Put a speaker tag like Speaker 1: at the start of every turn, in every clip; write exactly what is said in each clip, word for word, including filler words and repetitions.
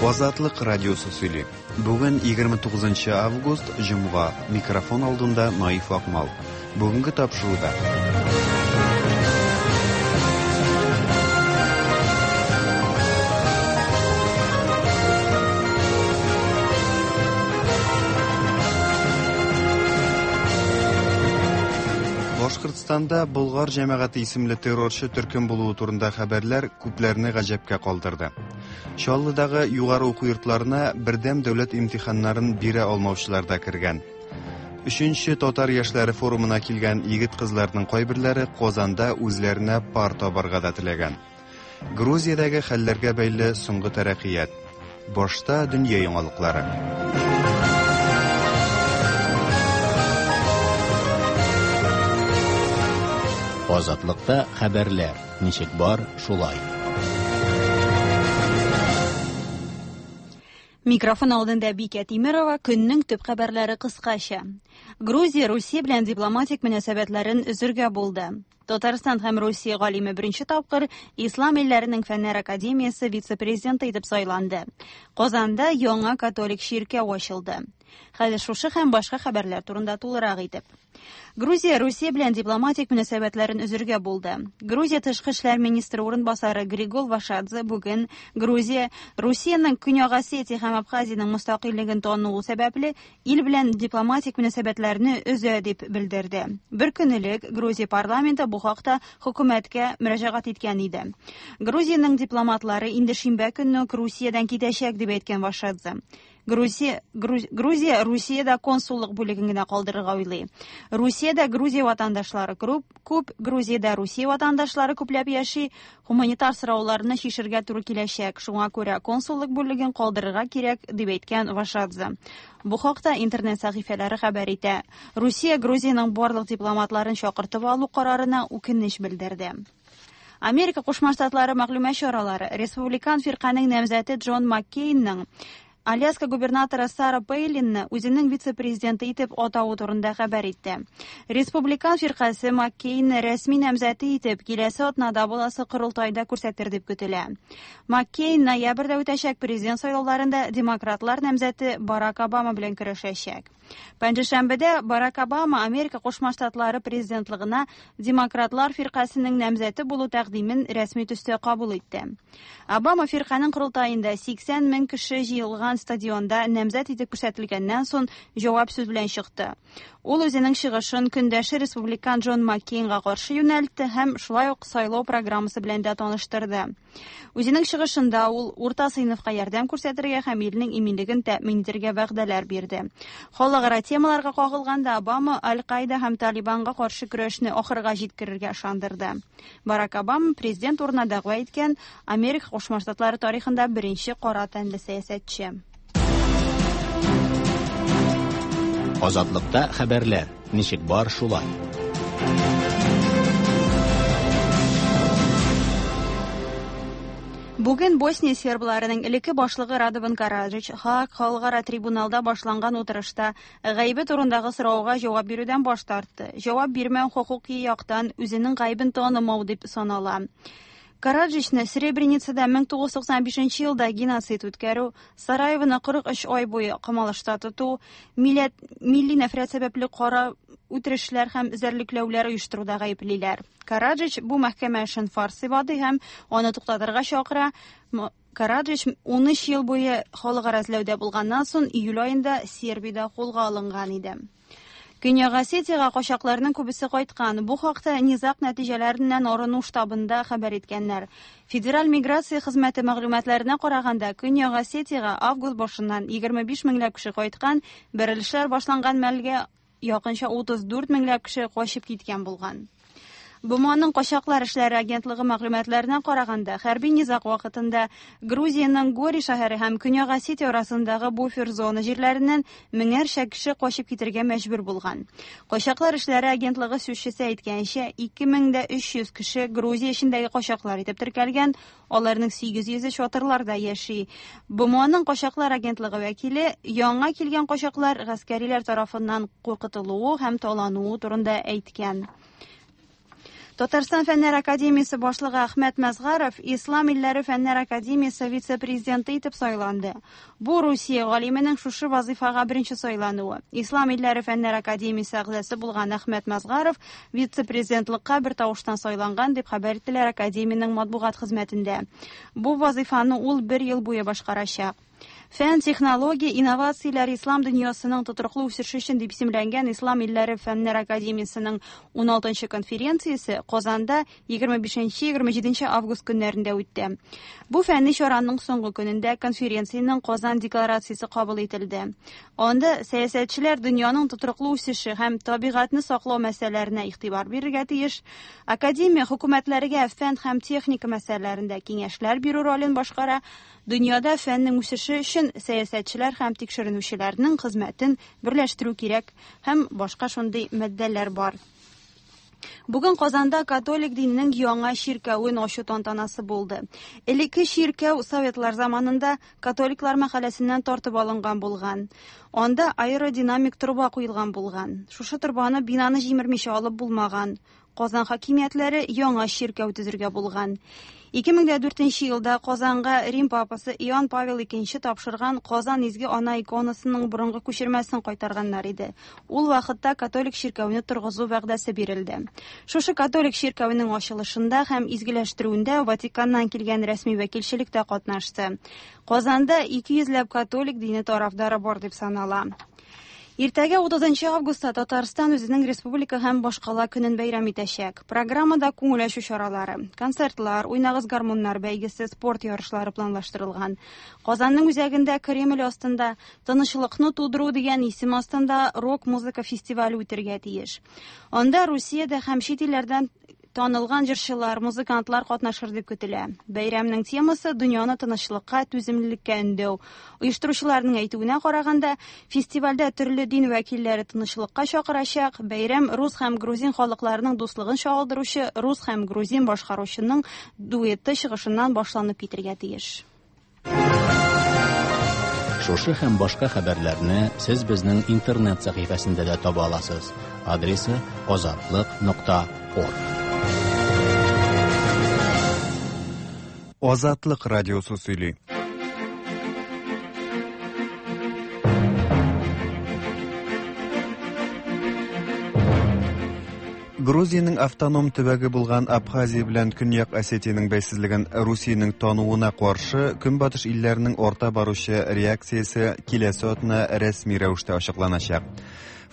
Speaker 1: Азатлык радиосы сөйли. Бүген егерме тугызынчы август, җомга. Микрофон алдында Наиф Акмал. Бүгенге тапшыруда. Башкортстанда Болгар җәмәгате исемле террорчы төркем булуы турында хәбәрләр күпләрне гаҗәпкә калдырды. Чаллыдагы югары уку йортларына бердәм дәүләт имтиханнарын бирә алмаучылар да кергән. Өченче татар яшьләре форумына килгән егет-кызларның кайберләре Казанда үзләренә пар табарга да теләгән. Грузиядәге хәлләргә бәйле соңгы тәрәккыят. Башта дөнья яңалыклары.
Speaker 2: Азатлыкта хәбәрләр ничек бар, шулай.
Speaker 3: Микрофон алдында Бикә Тимирова, көннең төп хәбәрләре кыскача. Грузия Русия белән дипломатик мөнәсәбәтләрен өзергә булды. Татарстан һәм Русия галиме беренче тапкыр Ислам илләренең Фәннәр академиясе вице-президенты итеп сайланды. Казанда яңа католик чиркәү ачылды. Хәзер шушы һәм башка хәбәрләр турында тулырак итеп. Грузия Русия белән дипломатик мөнәсәбәтләрен өзергә булды. Грузия тышкы эшләр министры урынбасары Григол Вашадзе бүген Грузия Русиянең Көньяк Осетия һәм Абхазиянең мөстәкыйльлеген тануы сәбәпле ил белән дипломатик мөнәсәбәтләрне өзә дип белдерде. Бер көн элек Грузия парламенты бу хакта хөкүмәткә мөрәҗәгать иткән иде. Грузиянең дипломатлары инде шимбә көнне үк Русиядән китәчәк дип әйткән Вашадзе. Грузия, Груз-, Грузия Русиядә консуллык бүлеген генә калдырырга уйлый. Русиядә Грузия ватандашлары күп, күп, Грузиядә Русия ватандашлары күпләп яши, гуманитар сорауларны чишергә туры киләчәк. Шуңа күрә консуллык бүлеген калдырырга кирәк, дип әйткән Вашадзе. Бу хакта интернет сәхифәләре хәбәр итә. Русия Грузиянең барлык дипломатларын чакыртып алу карарына үкенеч белдерде. Америка Кушма Штатлары мәгълүмат чаралары Республикан фирканең намзәте Джон Маккейнның Аляска губернаторы Сара Пейлинны үзенең вице-президенты итеп атавы турында хәбәр итте. Республикан фиркасе Маккейнны рәсми намзәте итеп киләсе атнада буласы корылтайда күрсәтер дип көтелә. Маккейн ноябрьдә үтәчәк президент сайлауларында демократлар намзәте Барак Обама белән көрәшәчәк. Пәнҗешәмбедә Барак Обама Америка Кушма Штатлары президентлыгына демократлар фиркасының намзәте булу тәкъдимен рәсми төстә кабул итте. Обама фирканың корылтаенда сиксән мең кеше җыелган стадионда намзәт итеп күрсәтелгәннән соң җавап сүз белән чыкты. Ул үзенең чыгышын көндәше республикан Джон Маккейнга каршы юнәлтте һәм шулай ук сайлау программасы белән дә таныштырды. Үзенең чыгышында ул урта сыйныфка ярдәм күрсәтергә һәм илнең иминлеген тәэмин итәргә вәгъдәләр бирде. Халыкара темаларга кагылганда Обама Аль-Каида һәм Талибанга каршы көрәшне ахырга җиткерергә ышандырды. Барак Обама президент урынына дәгъва иткән Америка Кушма Штатлары тарихында беренче кара тәнле сәясәтче.
Speaker 2: Азатлыкта хәбәрләр ничек бар, шулай.
Speaker 3: Бүген Босния сербларының элекке башлыгы Радован Караджич Һааг халыкара трибуналда башланган утырышта гаебе турындагы сорауга җавап бирүдән баш тартты. Җавап бирмәү хокуки яктан үзенең гаебен танымау дип санала. Караджичны Сребреницада мең тугыз йөз туксан бишенче елда геноцид үткәрү, Сараевоны кырык өч ай буе камалышта тоту, милләт, милли нәфрәт сәбәпле кара үтерешләр һәм эзәрлекләүләр оештыруда гаеплиләр. Караджич бу мәхкәмә эшен фарс дип һәм аны туктатырга чакыра. М-, Караджич ун өч ел буе халыкара эзләүдә булганнан соң июль аенда Сербиядә кулга алынган иде. Көньяк Осетиягә качакларның күбесе кайткан. Бу хакта низаг нәтиҗәләреннән арыну штабында хәбәр иткәннәр. Федераль миграция хезмәте мәгълүматларына караганда, Көньяк Осетиягә август башыннан егерме биш меңләп кеше кайткан, бәрелешләр башланган мәлгә якынча утыз дүрт меңләп кеше качып киткән булган. БМОның качаклар эшләре агентлыгы мәгълүматларына караганда, хәрби низаг вакытында Грузиянең Гори шәһәре һәм Көньяк Осетия арасындагы буфер зона җирләреннән меңәрчә кеше качып китергә мәҗбүр булган. Качаклар эшләре агентлыгы сүзчесе әйткәнчә, ике мең дә өч йөз кеше Грузия эчендәге качаклар итеп теркәлгән, аларның сигез йөзе чатырларда яши. БМОның качаклар агентлыгы вәкиле яңа килгән качаклар гаскәриләр тарафыннан куркытылуы һәм талануы турында әйткән. Татарстан Фәннәр Академиясе башлыгы Әхмәт Мәзгаров Ислам илләре Фәннәр Академиясе вице-президенты итеп сайланды. Бу Русия галименең шушы вазифага беренче сайлануы. Ислам илләре Фәннәр Академиясе әгъзасы булган Әхмәт Мәзгаров вице-президентлыкка бер тавыштан сайланган дип хәбәр иттеләр академиянең матбугат хезмәтендә. Бу вазифаны ул бер ел буе башкарачак. Фән, технология, инновацияләр ислам дөньясының тотрыклы үсеше өчен дип исемләнгән Ислам илләре Фәннәр Академиясенең ун алтынчы конференциясе Казанда егерме бишенче егерме җиденче август көннәрендә үтте. Бу фәнни чараның соңгы көнендә конференциянең Казан декларациясе кабул ителде. Анда сәясәтчеләр дөньяның тотрыклы үсеше һәм табигатьне саклау мәсьәләләренә игътибар бирергә тиеш. Академия хөкүмәтләргә фән һәм техника мәсьәләләрендә киңәшләр бирү ролен башкара. Дөньяда фәннең үсеше өчен сәясәтчеләр һәм тикшеренүчеләрнең хезмәтен берләштерү кирәк һәм башка шундый маддәләр бар. Бүген Казанда католик диненең яңа чиркәвен ачу тантанасы булды. Элекке чиркәү советлар заманында католиклар мәхәлләсеннән тартып алынган булган. Анда аэродинамик торба куелган булган. Шушы торбаны бинаны җимермичә алып булмаган. Казан хакимиятләре яңа чиркәү төзергә булган. ике мең дә дүртенче елда Казанга Рим папасы Иоанн Павел икенче тапшырган Казан изге ана иконасының борынгы күчермәсен кайтарганнар иде. Ул вакытта католик чиркәүне торгызу вәгъдәсе бирелде. Шушы католик чиркәүнең ачылышында һәм изгеләштерүендә Ватиканнан килгән рәсми вәкилчелек тә катнашты. Казанда ике йөзләп католик дине тарафдары бар дип санала. Иртәгә утызынчы августта Татарстан үзенең республика һәм башкала көнен бәйрәм итәчәк. Программада күңел ачу чаралары, концертлар, уйнагыз гармуннар бәйгесе, спорт ярышлары планлаштырылган. Казанның үзәгендә Кремль астында Тынычлыкны тудыру дигән исем астында рок-музыка фестивале үтергә тиеш. Анда Русиядә һәм чит илләрдән танылган җырчылар, музыкантлар катнашыр дип көтелә. Бәйрәмнең темасы дөньяны тынычлыкка, түземлелеккә өндәү. Оештыручыларның әйтүенә караганда, фестивальдә төрле дин вәкилләре тынычлыкка чакырачак. Бәйрәм рус һәм грузин халыкларының дуслыгын чагылдыручы рус һәм грузин башкаручының дуэты чыгышыннан башланып китергә тиеш.
Speaker 2: Шушы һәм башка хәбәрләрне сез безнең интернет сәхифәсендә дә таба аласыз. Адресы азатлык нокта орг.
Speaker 1: Азатлык радиосы сөйли. Грузиянең автоном төбәге булган Абхазия белән Көньяк Осетиянең бәйсезлеген Русиянең тануына каршы Көнбатыш илләренең арта баручы реакциясе киләсе атна рәсми рәвештә ачыкланачак.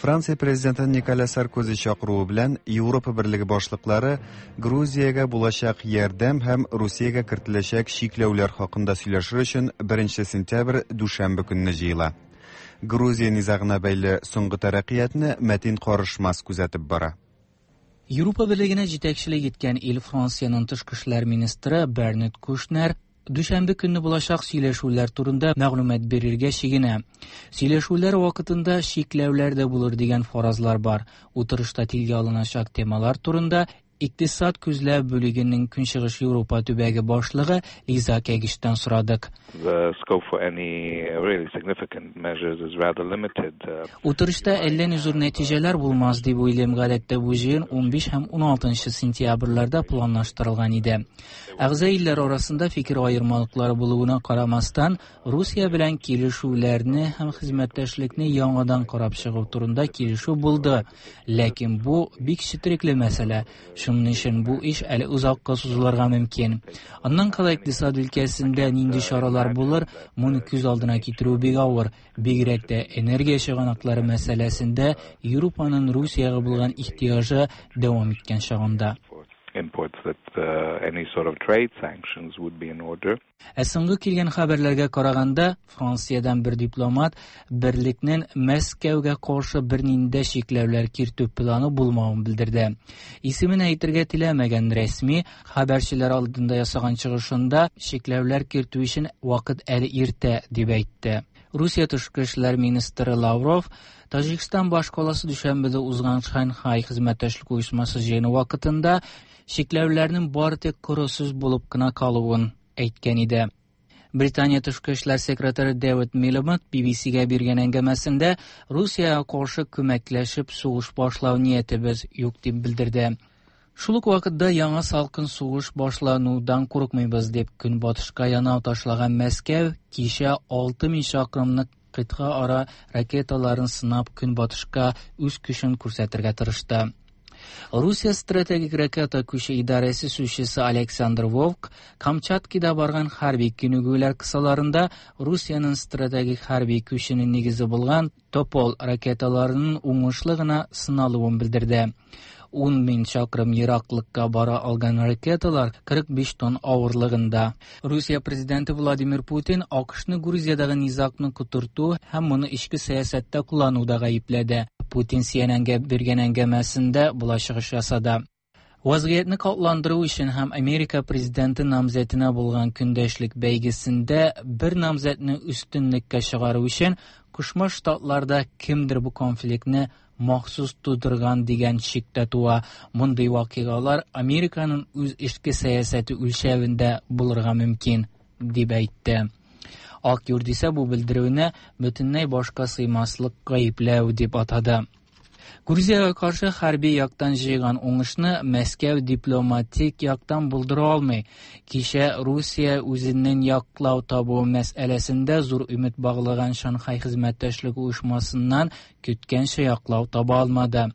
Speaker 1: Франция президенты Николя Саркози чакыруы белән Европа Берлеге башлыклары Грузиягә булачак ярдәм һәм Русиягә кертеләчәк чикләүләр хакында сөйләшер өчен беренче сентябрь дүшәмбе көнне җыела. Грузия низагына бәйле соңгы тәрәккыятны Мәтин Карышмас күзәтеп бара.
Speaker 4: Европа Берлегенә җитәкчелек иткән ил Франциянең тышкы эшләр министры Бернард Кушнер дүшәмбе көнне булачак сөйләшүләр турында мәгълүмат бирергә чигенә. Сөйләшүләр вакытында чикләүләр дә булыр дигән фаразлар бар. Утырышта телгә алыначак темалар турында Икътисад күзләү бүлегенең Көнчыгыш Европа төбәге башлыгы Лиза Кәгиштән сорадык.
Speaker 5: The scope for any really significant measures is rather limited.
Speaker 4: Утырышта әллә ни зур нәтиҗәләр булмас дип уйлыйм. Гадәттә бу җыен унбиш һәм уналтынчы сентябрьләрдә планлаштырылган иде. Әгъза илләр арасында фикер аермалыклары булуына карамастан, Русия белән килешүләрне һәм хезмәттәшлекне яңадан карап чыгу турында килешү булды. Ләкин бу бик четерекле мәсьәлә. Шуның өчен бу эш әле озакка сузылырга мөмкин. Аннан кала икътисад өлкәсендә нинди чаралар булыр, моны күз алдына китерү бик авыр. Бигрәк тә энергия чыганаклары мәсьәләсендә Европаның Русиягә булган ихтыяҗы дәвам иткән чагында.
Speaker 5: Imports that uh, any sort of trade sanctions would be in order.
Speaker 4: Ә соңгы килгән хәбәрләргә караганда, Франциядән бер дипломат берлекнең Мәскәүгә каршы бернинди чикләүләр кертү планы булмавын белдерде. Исемен әйтергә теләмәгән рәсми хәбәрчеләр алдында ясаган чыгышында чикләүләр кертү өчен вакыт әле иртә дип әйтте. Русия тышкы эшләр министры Лавров Таҗикстан башкаласы Дүшәнбедә узган Шанхай хезмәттәшлек оешмасы җыены вакытында чикләүләрнең бары тик коры сүз булып кына калуын әйткән иде. Британия тышкы эшләр секретаре Дэвид Милибанд Би Би Си-гә биргән әңгәмәсендә Русиягә каршы күмәкләшеп сугыш башлау ниятебез юк дип белдерде. Шул ук вакытта яңа салкын сугыш башланудан курыкмыйбыз дип көнбатышка янау ташлаган Мәскәү кичә алты мең чакрымлык кыйтга ара ракеталарын сынап көнбатышка үз көчен күрсәтергә тырышты. Русия стратегик ракета күче идарәсе сүзчесе Александр Вовк Камчаткада барган хәрби күнегүләр кысаларында Русиянең стратегик хәрби күченең нигезе булган Топол ракеталарының уңышлы гына сыналуын белдерде. Ун мең чакрым ераклыкка бара алган ракеталар кырык биш тонн авырлыгында. Русия президенты Владимир Путин АКШны Грузиядагы низагны котырту һәм моны эчке сәясәттә куллануда гаепләде. Путин Си Эн Энгә биргән әңгәмәсендә болай чыгыш ясады. Вазгыятьне катландыру өчен һәм Америка президенты намзәтенә булган көндәшлек бәйгесендә бер намзәтне өстенлеккә чыгару өчен Кушма Штатларда кемдер бу конфликтны махсус тудырган дигән шик тә туа. Мондый вакыйгалар Американың үз эчке сәясәте үлчәвендә булырга мөмкин, дип әйтте. Ак Йорт исә бу белдерүне бөтенләй башка сыймаслык гаепләү дип атады. Грузиягә каршы хәрби яктан җыйган уңышны Мәскәү дипломатик яктан булдыра алмый. Кичә Русия үзенең яклау табу мәсьәләсендә зур өмет баглаган Шанхай хезмәттәшлеге оешмасыннан көткәнчә яклау таба алмады.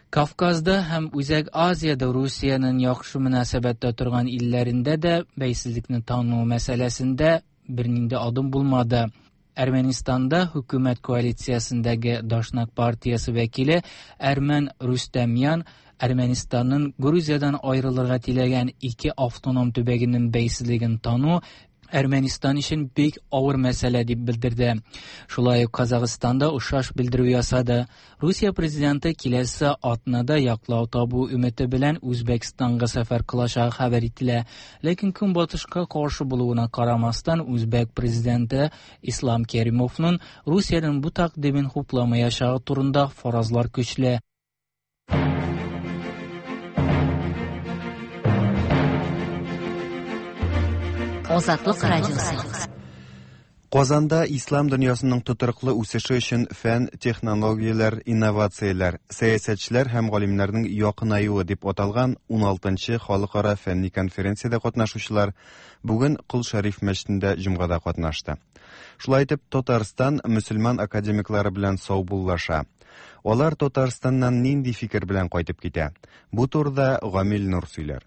Speaker 4: Кавказда һәм Үзәк Азиядә Русиянең яхшы мөнәсәбәттә торган илләрендә дә бәйсезлекне тану мәсьәләсендә бернинди адым булмады. Әрмәнстанда хөкүмәт коалициясендәге Дашнак партиясе вәкиле Әрмән Рустамян Әрмәнстанның Грузиядан аерылырга теләгән ике автоном төбәгенең бәйсезлеген тану Әрмәнстан өчен бик авыр мәсьәлә дип белдерде. Шулай ук Казахстанда охшаш белдерү ясады. Русия президенты киләсе атнада яклау табу өмете белән Үзбәкстанга сәфәр кылачагы хәбәр ителә. Ләкин көнбатышка каршы булуына карамастан Үзбәк президенты Ислам Керимовның Русиянең бу тәкъдимен хупламаячагы турында фаразлар көчле.
Speaker 6: Азатлык радиосы.
Speaker 1: Казанда ислам дөньясының тотрыклы үсеше өчен фән, технологияләр, инновацияләр, сәясәтчеләр һәм галимнәрнең якынаюы дип аталган ун алтынчы халыкара фәнни конференциядә катнашучылар бүген Кол Шәриф мәчетендә җомгада катнашты. Шулай итеп, Татарстан мөселман академиклары белән саубуллаша. Алар Татарстаннан нинди фикер белән кайтып китә? Бу турыда Гамил Нур сөйләр.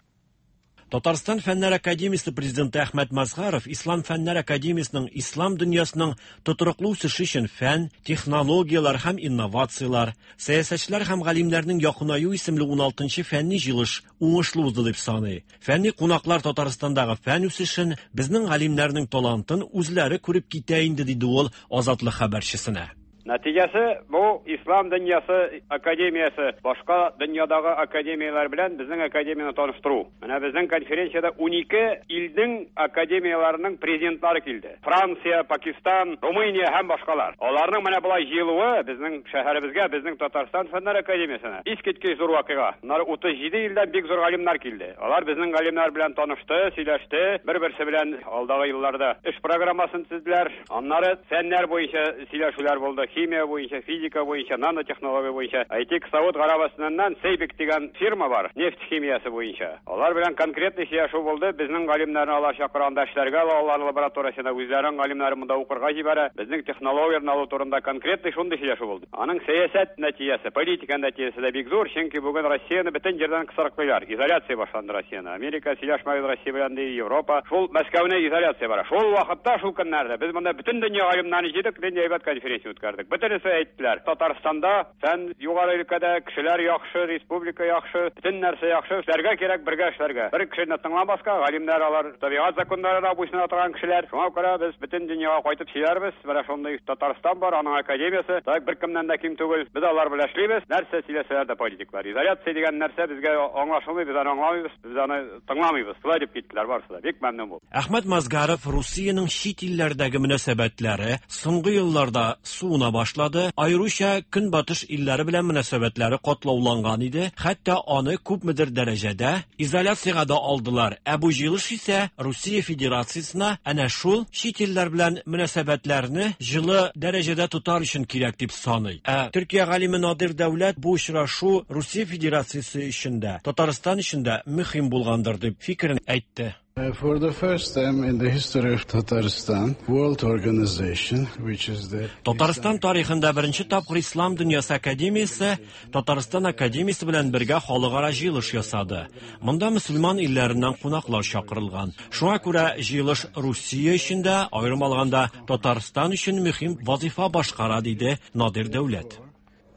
Speaker 7: Татарстан Фәннәр Академиясе президенты Әхмәт Мазһаров Ислам Фәннәр Академиясенең ислам дөньясының тотрыклы үсеше өчен фән, технологияләр һәм инновацияләр, сәясәтчеләр һәм галимнәрнең якынаю исемле ун алтынчы фәнни җыелыш уңышлы узды дип саный. Фәнни кунаклар Татарстандагы фән үсешен, безнең галимнәрнең талантын үзләре күреп китә инде, диде ул Азатлык хәбәрчесенә.
Speaker 8: Нәтиҗәсе бу Ислам дөньясы академиясе башка дөньядагы академияләр белән безнең академияне таныштыру. Менә безнең конференциядә ун ике илнең академияләренең президентлары килде. Франция, Пакистан, Румыния һәм башкалар. Аларның менә болай җыелуы безнең шәһәребезгә, безнең Татарстан Фәннәр Академиясенә искиткеч зур вакыйга. Моннары утыз җиде илдән бик зур галимнәр килде. Алар безнең галимнәр белән танышты, сөйләште, бер-берсе белән алдагы елларда эш программасын төзеделәр. Аннары фәннәр буенча сөйләшүләр булды. Химия буенча, физика буенча, нанотехнология буенча. Әйтик, Сауд Гарәбстаннан Сейбик дигән фирма бар, нефть химиясе буенча. Алар белән конкретный сөйләшү булды. Безнең галимнәрне алар чакырганда эшләргә ала, алар лабораториясенә үзләренең галимнәрен монда укырга җибәрә. Безнең технологияләрне алу турында конкретный шундый сөйләшү булды. Аның сәясәт нәтиҗәсе, политика нәтиҗәсе дә бик зур, чөнки бүген Россияне бөтен җирдән кысрыклыйлар. Изоляция башланды Россияне. Америка сөйләшмәгез Россия белән ди, Европа. Шул Мәскәүне изоляция бара. Шул вакытта, шул көннәрдә без монда бөтен дөнья галимнәрен җыйдык, дөнья әйбәт конференция үткәрдек. Бөтенесе әйттеләр. Татарстанда фән югары өлкәдә кешеләр яхшы, республика яхшы, бөтен нәрсә яхшы. Эшләргә кирәк, бергә эшләргә. Бер кешене тыңламаска, галимнәр алар табигать законнарына буйсына торган кешеләр. Шуңа күрә без бөтен дөньяга кайтып сөйләрбез. Менә шундый Татарстан бар, аның академиясе. Так бер кемнән дә ким түгел. Без алар белән эшлибез. Нәрсә сөйләсәләр дә политиклар. Изоляция дигән нәрсә безгә аңлашылмый, без аны аңламыйбыз, без аны тыңламыйбыз. Шулай дип киттеләр барысы да. Бик мәмнүн булдым.
Speaker 7: Әхмәт Мазгаров Русиянең чит илләрдәге мөнәсәбәтләре соңгы елларда суына тоткарлана башлады. Аеруча Көнбатыш илләре белән мөнәсәбәтләре катлауланган иде. Хәтта аны күпмедер дәрәҗәдә изоляциягә дә алдылар. Ә бу җыелыш исә Русия Федерациясенә әнә шул чит илләр белән мөнәсәбәтләрне җылы дәрәҗәдә тотар өчен кирәк дип саный. Ә Төркия галиме Надир Дәүләт бу очрашу Русия Федерациясе өчен дә, Татарстан өчен дә мөһим булгандыр дип фикерен әйтте.
Speaker 9: For the first time in the history of Tatarstan, World Organization, which is the
Speaker 7: Татарстан тарихында беренче тапкыр Ислам дөньясы академиясе Татарстан академиясе белән бергә халыкара җыелыш ясады. Монда мөселман илләреннән кунаклар чакырылган. Шуңа күрә җыелыш Русия өчен дә, аерым алганда Татарстан өчен мөһим вазифа башкара, диде Надир Дәүләт.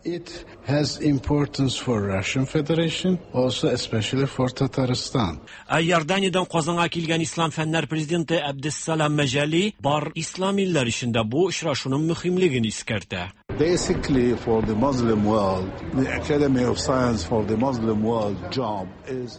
Speaker 9: It has importance for Russian Federation, also especially for Tatarstan.
Speaker 7: Ә Иорданиядән Казанга килгән Ислам фәннәр президенты Әбдессалам Мәҗәли бар ислам илләре эчендә бу очрашуның мөһимлеген искәртә.
Speaker 10: Basically for the Muslim world, the Academy of Science for the Muslim world job is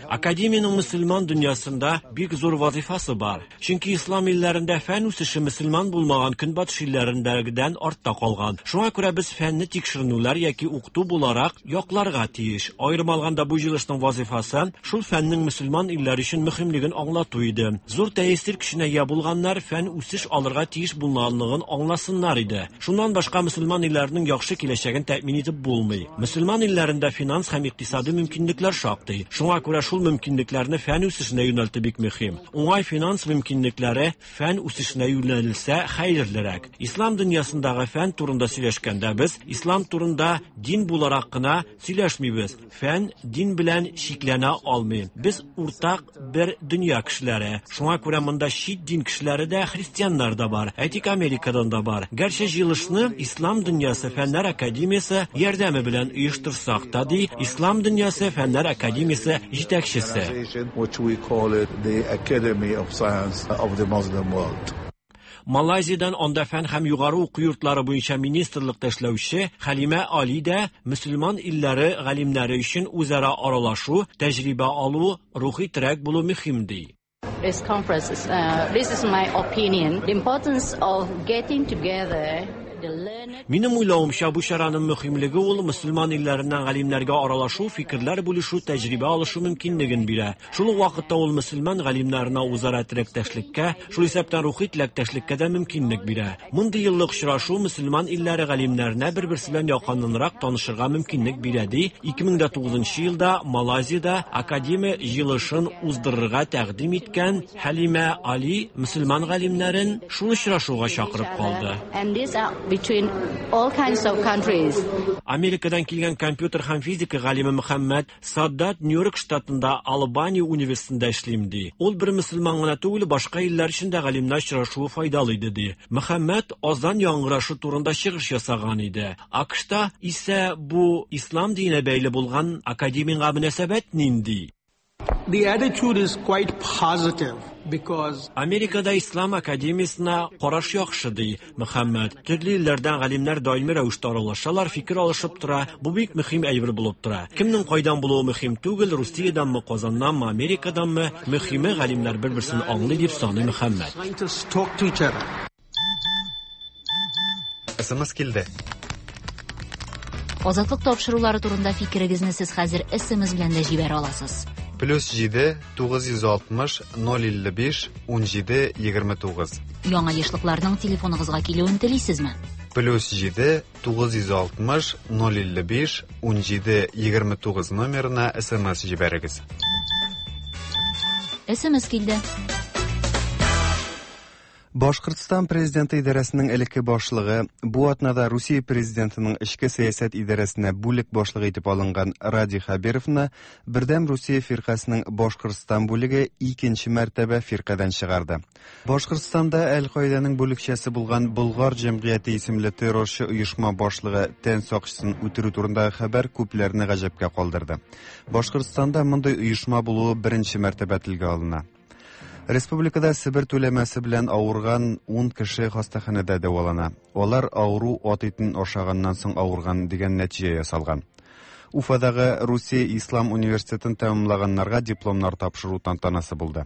Speaker 7: Академиянең мөселман дөньясында бик зур вазифасы бар. Чөнки ислам илләрендә фән үсеше мөселман булмаган көнбатыш илләрендәгедән артта калган. Шуңа күрә без фәнне тикшеренүләр яки укыту буларак якларга тиеш. Аерым алганда бу җыелышның вазифасы шул фәннең мөселман илләре өчен мөһимлеген аңлату иде. Зур тәэсир көченә ия булганнар фән үсеш алырга тиеш булганлыгын аңласыннар иде. Шуннан башка мөселман илләренең яхшы киләчәген тәэмин итеп булмый. Мөселман илләрендә финанс һәм икътисади мөмкинлекләр шактый. Шуңа күрә шул мөмкинлекләрне фән үсешенә юнәлтү бик мөһим. Уңай финанс мөмкинлекләре фән үсешенә юнәлелсә хәерлерәк. Ислам дөньясындагы фән турында сөйләшкәндә без ислам турында дин буларак кына сөйләшмибез. Фән дин белән чикләнә алмый. Без уртак бер дөнья кешеләре. Шуңа күрә монда чит дин кешеләре дә, христианнар да бар. Әйтик, Америкадан да бар. Гәрчә җыелышны Ислам дөньясы фәннәр академиясе ярдәме белән оештырсак та, ди Ислам дөньясы фәннәр академиясе җитәкчесе.
Speaker 10: Which we call it the Academy of Science of the Muslim World.
Speaker 7: Малайзиядән анда фән һәм югары уку йортлары буенча министрлыкта эшләүче Хәлимә Али дә мөселман илләре галимнәре өчен үзара аралашу, тәҗрибә алу, рухи терәк булу мөһим, ди.
Speaker 11: This conference is, uh, this is my opinion, the importance of getting together.
Speaker 7: Минем уйлавымча, бу чараның мөһимлеге ул мөселман илләреннән галимнәргә аралашу, фикерләр бүлешү, тәҗрибә алышу мөмкинлеген бирә. Шул ук вакытта ул мөселман галимнәренә үзара теләктәшлеккә, шул исәптән рухи теләктәшлеккә дә мөмкинлек бирә. Мондый еллык очрашу мөселман илләре галимнәренә бер-берсе белән якыннанрак танышырга мөмкинлек бирә, ди. ике мең дә тугызынчы елда Малайзиядә академия җыелышын уздырырга тәкъдим иткән Хәлимә Али мөселман галимнәрен шул очрашуга чакырып калды.
Speaker 11: And these are between all kinds of countries.
Speaker 7: Америкадан килгән компьютер һәм физика галиме Мөхәммәд Саддат Нью-Йорк штатында Албания университетында эшлим, ди. Ул бер мөселман гына түгел, башка илләр өчен дә галимнәр очрашуы файдалы иде, ди. Мөхәммәд азан яңгырашы турында чыгыш ясаган иде. АКШта исә бу ислам диненә бәйле булган академиягә мөнәсәбәт нинди?
Speaker 12: The attitude is quite positive because
Speaker 7: Америкада Ислам академиясенә караш яхшы, ди Мөхәммәд. Төрле илләрдән галимнәр даими рәвештә аралашалар, фикер алышып тора. Бу бик мөһим әйбер булып тора. Кемнең кайдан булуы мөһим түгел, Русиядәнме, Казаннанмы, Америкаданмы, мөһиме галимнәр бер-берсен аңлый дип саный Мөхәммәд.
Speaker 12: Scientists talk to each other.
Speaker 1: СМС килде.
Speaker 6: Азатлык тапшырулары турында фикерегезне сез хәзер СМС белән дә җибәрә аласыз.
Speaker 1: Плюс җиде, тугыз йөз алтмыш, ноль илле биш, ун җиде, егерме тугыз.
Speaker 6: Яңа ешлыкларның телефоныгызга килүен телисезме?
Speaker 1: Плюс җиде, тугыз йөз алтмыш, ноль илле биш, ун җиде, егерме тугыз номерына СМС җибәрегез.
Speaker 6: СМС килде.
Speaker 1: Башкортстан президенты идарәсенең элекке башлыгы бу атнада Русия президентының эчке сәясәт идарәсенә бүлек башлыгы итеп алынган Радий Хәбировны Бердәм Русия фиркасының Башкортстан бүлеге икенче мәртәбә фиркадән чыгарды. Башкортстанда Әл-Каиданың бүлекчәсе булган Болгар җәмгыяте исемле террорчы оешма башлыгы тән сакчысын үтерү турындагы хәбәр күпләрне гаҗәпкә калдырды. Башкортстанда мондый оешма булуы беренче мәртәбә телгә алына. Республикада Себер түләмәсе белән авырган ун кеше хастаханәдә дәвалана. Алар авыру ат итен ашаганнан соң авырган дигән нәтиҗә ясалган. Уфадагы Русия Ислам университетын тәмамлаганнарга дипломнар тапшыру тантанасы булды.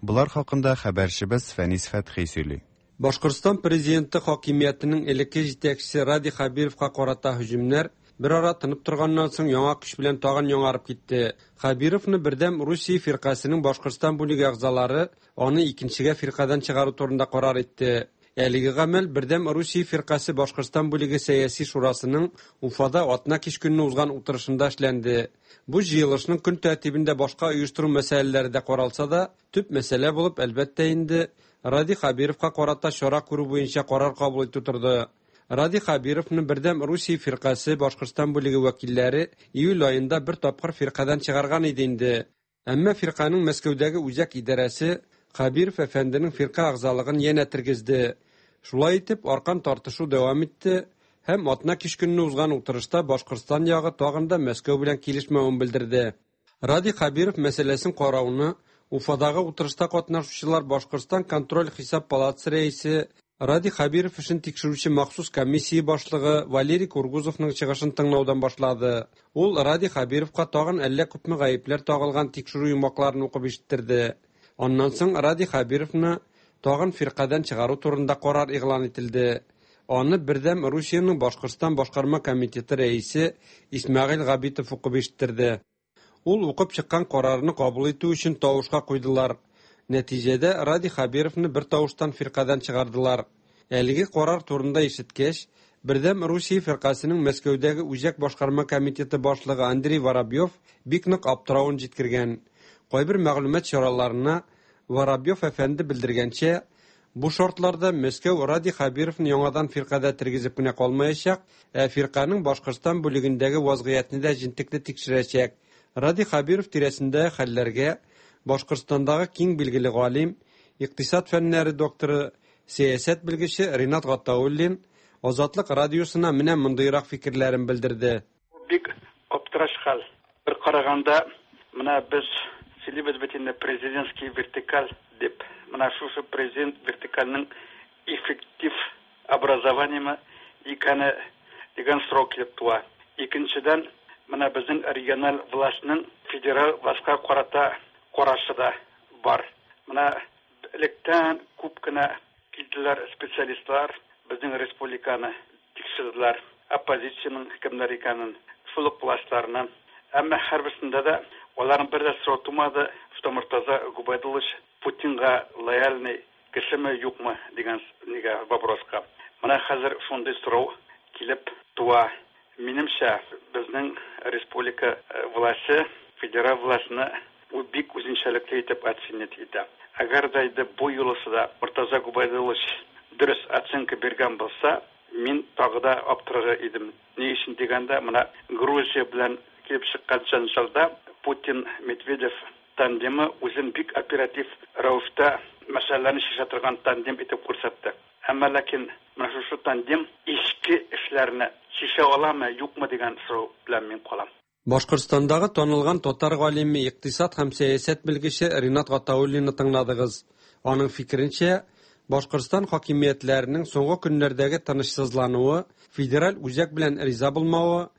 Speaker 1: Булар хакында хәбәрчебез Фәнис Фәтхи сөйли.
Speaker 13: Башкортстан президенты хакимиятенең элекке җитәкчесе Радий Хәбировка карата һөҗүмнәр бер ара тынып торганнан соң яңа көч белән тагын яңарып китте. Хәбировны Бердәм Русия фиркасының Башкортстан бүлеге әгъзалары аны икенчегә фиркадан чыгару турында карар итте. Әлеге гамәл Бердәм Русия фиркасе Башкортстан бүлеге сәяси шурасының Уфада атна кич көнне узган утырышында эшләнде. Бу җыелышның көн тәртибендә башка оештыру мәсьәләләре дә каралса да, төп мәсьәлә булып әлбәттә инде Радий Хәбировка карата чара күрү буенча карар кабул итү торды. Радий Хәбировны Бердәм Русия фиркасе Башкортстан бүлеге вәкилләре июль аенда бер тапкыр фиркадан чыгарган иде инде. Әмма фирканың Мәскәүдәге үзәк идарәсе Хәбиров әфәнденең фирка әгъзалыгын янә тергезде. Шулай итеп, аркан тартышу дәвам итте һәм атна кич көнне узган утырышта Башкортстан ягы тагын да Мәскәү белән килешмәвен белдерде. Радий Хәбиров мәсьәләсен карауны Уфадагы утырышта катнашучылар Башкортстан контроль хисап палатасы рәисе Радий Хәбиров эшен тикшерүче махсус комиссия башлыгы Валерий Кургузовның чыгышын тыңлаудан башлады. Ул Радий Хәбировка тагын әллә күпме гаепләр тагылган тикшерү йомгакларын укып ишеттерде. Аннан соң Радий Хәбировны тагын фиркадан чыгару турында карар игълан ителде. Аны Бердәм Русиянең Башкортстан башкарма комитеты рәисе Исмәгыйль Габитов укып ишеттерде. Ул укып чыккан карарны кабул итү өчен тавышка куйдылар. Нәтиҗәдә Радий Хәбировны бер тавыштан фиркадан чыгардылар. Әлеге карар турында ишеткәч, Бердәм Русия фиркасының Мәскәүдәге үзәк башкарма комитеты башлыгы Андрей Воробьев бик нык аптыравын җиткергән. Кайбер мәгълүмат чараларына Воробьев әфәнде белдергәнчә, бу шартларда Мәскәү Радий Хәбировны яңадан фиркада тергезеп кенә калмаячак, ә фирканың Башкортстан бүлегендәге вазгыятьне дә җентекле тикшерәчәк. Радий Хәбиров тирәсендәге хәлләргә Башкортстандагы киң билгеле галим, икътисад фәннәре докторы, сәясәт белгече Ринат Гатауллин Азатлык радиосына менә мондыйрак фикерләрен белдерде.
Speaker 14: Бик аптыраш хәл. Бер караганда, менә без сөйлибез бит инде президентский вертикаль дип. Менә шушы президент вертикальның эффектив образованиемы икәне дигән сорау килеп туа. Икенчедән, менә безнең региональ властьның федераль властька карата карашы да бар. Менә электән күп кенә килделәр специалистлар, безнең республиканы тикшерделәр, оппозициянең кемнәр икәнен, шул ук властьларны. Әмма һәрберсендә дә аларның бер дә сорау тумады, что Муртаза Губайдуллович Путинга лояльный кешеме, юкмы дигән нигә вопроска. Менә хәзер шундый сорау килеп туа. Минемчә, безнең республика власте федераль властьны ул бик үзенчәлекле итеп оценить итә. Әгәр дә инде бу юлысы да Муртаза Губайдуллович дөрес оценка биргән булса, мин тагы да аптырар идем. Ни өчен дигәндә, менә Грузия белән килеп чыккан җәнҗалда Путин Медведев тандемы үзен бик оператив рәвештә мәсьәләләрне чишә торган тандем итеп күрсәтте. Әмма ләкин менә шушы тандем эчке эшләрне чишә аламы, юкмы дигән сорау белән мин калам.
Speaker 13: Башкортстандагы танылган татар галиме, икътисад һәм сәясәт белгече Ринат Гатауллинны тыңладыгыз. Аның фикеренчә, Башкортстан хакимиятләренең соңгы көннәрдәге тынычсызлануы, федераль үзәк белән риза булмавы,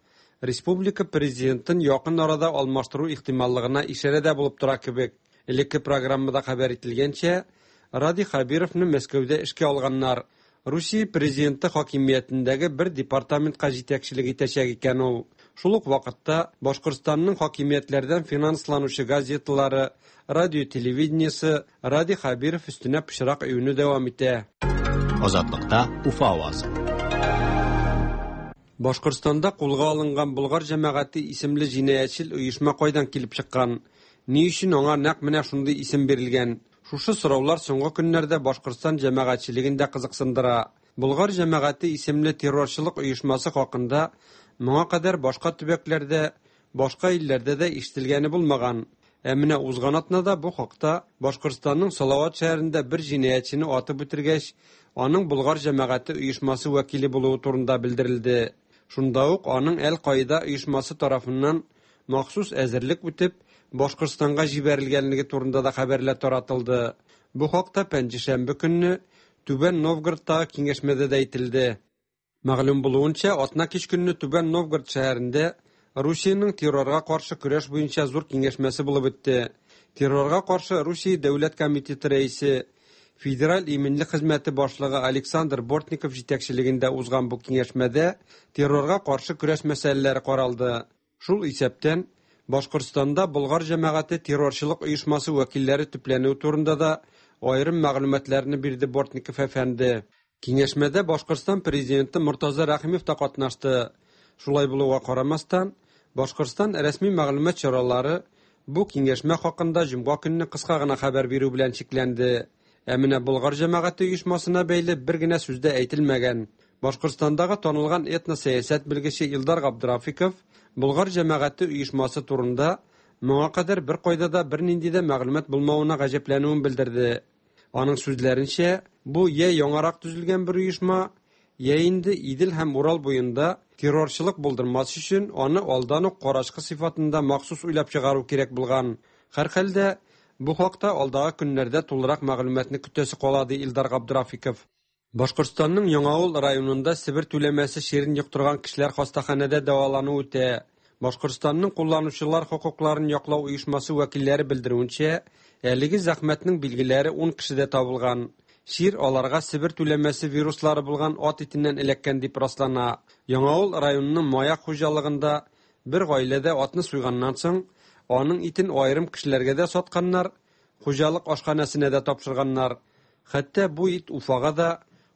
Speaker 13: республика президентын якын арада алмаштыру ихтималлыгына ишарә дә булып тора кебек. Элекке программада хәбәр ителгәнчә, Радий Хәбировны Мәскәүдә эшкә алганнар. Русия президенты хакимиятендәге бер департаментка җитәкчелек итәчәк икән ул. Шул ук вакытта Башкортстанның хакимиятләрдән финансланучы газеталары, радио телевидениесе Радий Хәбиров өстенә пычрак өюне дәвам итә.
Speaker 2: Азатлыкта Уфа авазы.
Speaker 13: Башкортстанда кулга алынган Болгар җәмәгате исемле җинаятьчел оешма кайдан килеп чыккан? Ни өчен аңа нәкъ менә шундый исем бирелгән? Шушы сораулар соңгы көннәрдә Башкортстан җәмәгатьчелеген дә кызыксындыра. Болгар җәмәгате исемле террорчылык оешмасы хакында моңа кадәр башка төбәкләрдә, башка илләрдә дә ишетелгәне булмаган. Ә менә узган атнада бу хакта Башкортстанның Салават шәһәрендә бер җинаятьчене атып үтергәч, аның Болгар җәмәгате оешмасы вәкиле булуы турында белдерелде. Шунда ук аның Әл-Каида оешмасы тарафыннан махсус әзерлек үтеп, Башкортстанга җибәрелгәнлеге турында да хәбәрләр таратылды. Бу хакта пәнҗешәмбе көнне Түбән Новгородтагы киңәшмәдә дә әйтелде. Мәгълүм булуынча, атна кич көнне Түбән Новгород шәһәрендә Русиянең террорга каршы көрәш буенча зур киңәшмәсе булып үтте. Террорга каршы Русия дәүләт комитеты рәисе, Федераль иминлек хезмәте башлыгы Александр Бортников җитәкчелегендә узган бу киңәшмәдә террорга каршы көрәш мәсьәләләре каралды. Шул исәптән Башкортстанда Болгар җәмәгате террорчылык оешмасы вәкилләре төпләнүе турында да аерым мәгълүматларны бирде Бортников әфәнде. Киңәшмәдә Башкортстан президенты Мортаза Рәхимов та катнашты. Шулай булуга карамастан, Башкортстан рәсми мәгълүмат чаралары бу киңәшмә хакында җомга көнне кыска гына хәбәр бирү белән чикләнде. Ә менә Болгар җәмәгате оешмасына бәйле бер генә сүз дә әйтелмәгән. Башкортстандагы танылган этносәясәт белгече Илдар Габдрафиков Болгар җәмәгате оешмасы турында моңа кадәр бер кайда да бернинди дә мәгълүмат булмавына гаҗәпләнүен белдерде. Аның сүзләренчә, бу я яңарак төзелгән бер оешма, я инде Идел һәм Урал буенда террорчылык булдырмас өчен аны алдан ук карачкы сыйфатында махсус уйлап чыгару кирәк булган. Һәрхәлдә, бу хакта алдагы көннәрдә тулырак мәгълүматны көтәсе кала, ди Илдар Габдрафиков. Башкортстанның Яңавыл районында Себер түләмәсе чирен йоктырган кешеләр хастаханәдә дәвалану үтә. Башкортстанның кулланучылар хокукларын яклау оешмасы вәкилләре белдерүенчә, әлеге зәхмәтнең билгеләре ун кешедә табылган. Чир аларга Себер түләмәсе вируслары булган ат итеннән эләккән дип раслана. Яңавыл районының Маяк хуҗалыгында бер гаиләдә атны суйганнан соң, аның итен аерым кешеләргә дә сатканнар, хуҗалык ашханәсенә дә тапшырганнар. Хәтта бу ит Уфага да,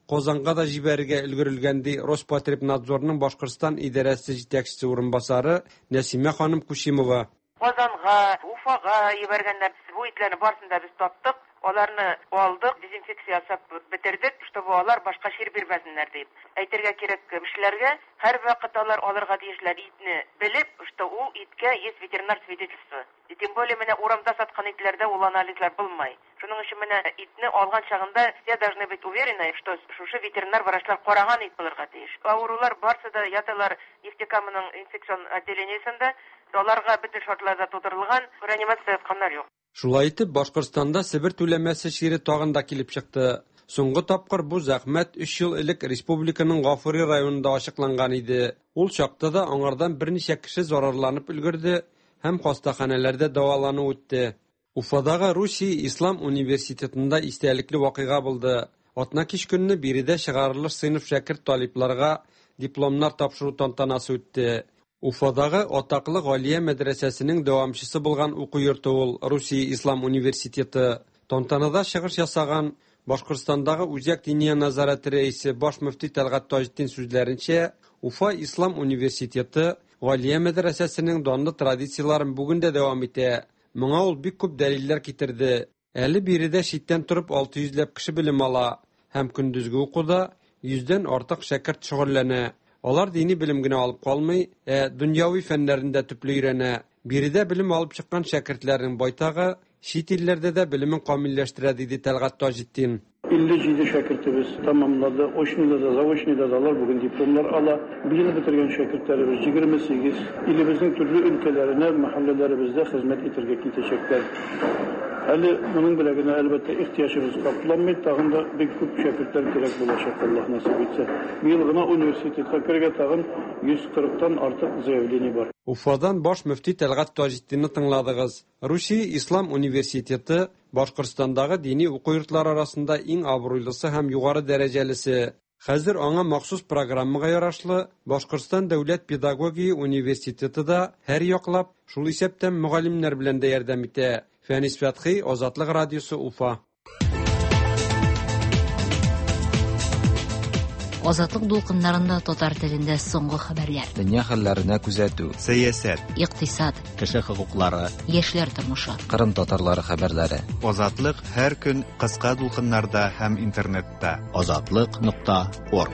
Speaker 13: Казанга да җибәрергә өлгерелгән, ди Роспотребнадзорның Башкортстан идарәсе җитәкчесе урынбасары Нәсимә ханым Кучимова.
Speaker 15: Казанга, Уфага җибәргәннәр. Бу итләрне барысын да без таптык, аларны алдык, дезинфекция ясап бетердек, чтобы алар башка чир бирмәсеннәр дип. Әйтергә кирәк кешеләргә, һәр вакыт алар алырга тиешләр итне белеп, что ул иткә есть ветеринар свидетельство. И тем более менә урамда саткан итләрдә ул анализлар булмай. Шуның өчен менә итне алган чагында все должны быть уверены, что шушы ветеринар врачлар караган ит булырга тиеш. Авырулар барсы да яталар Нефтекаманың инфекцион отделениесендә, аларга бөтен шартлар да тудырылган, реанимация ятканнар юк.
Speaker 13: Шулай итеп, Башкортстанда Себер түләмәсе чире тагын да килеп чыкты. Соңгы тапкыр бу зәхмәт өч ел элек республиканың Гафури районында ачыкланган иде. Ул чакта да аңардан берничә кеше зарарланып өлгерде һәм хастаханәләрдә дәвалану үтте. Уфадагы Русия Ислам университетында истәлекле вакыйга булды. Атна кич көнне биредә чыгарылыш сыйныф шәкерт талипларга дипломнар тапшыру тантанасы үтте. Уфадагы атаклы Галия мәдрәсәсенең дәвамчысы булган уку йорты ул Русия Ислам университеты. Тантанада чыгыш ясаган Башкортстандагы Үзәк диния назараты рәисе баш мөфти Тәлгать Таҗетдин сүзләренчә, Уфа Ислам университеты Галия мәдрәсәсенең данлы традицияләрен бүген дә дәвам итә. Моңа ул бик күп дәлилләр китерде. Әле биредә читтән торып алты йөзләп кеше белем ала һәм көндезге укуда йөздән артык шәкерт шөгыльләнә. Алар дини белем генә алып калмый, ә дөньяви фәннәрен дә төпле өйрәнә. Биредә белем алып чыккан шәкертләрнең байтагы чит илләрдә дә белемен камилләштерә, диде Тәлгать Таҗетдин.
Speaker 16: Илле җиде шәкертебез тамамлады, очныйда да, заочныйда да алар бүген дипломнар ала. Быел бетергән шәкертләребез егерме сигез, илебезнең төрле өлкәләренә, мәхәлләләребездә хезмәт итәргә китәчәкләр. Әле моның белән генә әлбәттә ихтыяҗыбыз капланмый, тагын да бик күп шәкертләр кирәк булачак, Аллаһ насыйп итсә. Быел гына университетка керергә тагын йөз кырыктан артык заявление бар.
Speaker 13: Уфадан баш мөфти Тәлгать Таҗетдинны тыңладыгыз. Русия Ислам университеты Башкортстандагы дини уку йортлары арасында иң абруйлысы һәм югары дәрәҗәлесе. Хәзер аңа махсус программага ярашлы Башкортстан дәүләт педагогия университеты да һәр яклап, шул исәптән мөгаллимнәр белән дә ярдәм итә. Фәнис Фәтхи, Азатлык радиосы, Уфа.
Speaker 6: Азатлык дулкыннарында татар телендә соңгы хәбәрләр.
Speaker 17: Дөнья хәлләренә күзәтү.
Speaker 1: Сәясәт.
Speaker 6: Икътисад.
Speaker 2: Кеше хокуклары.
Speaker 6: Яшьләр тормышы.
Speaker 17: Кырым татарлары хәбәрләре.
Speaker 1: Азатлык һәр көн кыска дулкыннарда һәм интернетта.
Speaker 2: Азатлык нокта орг.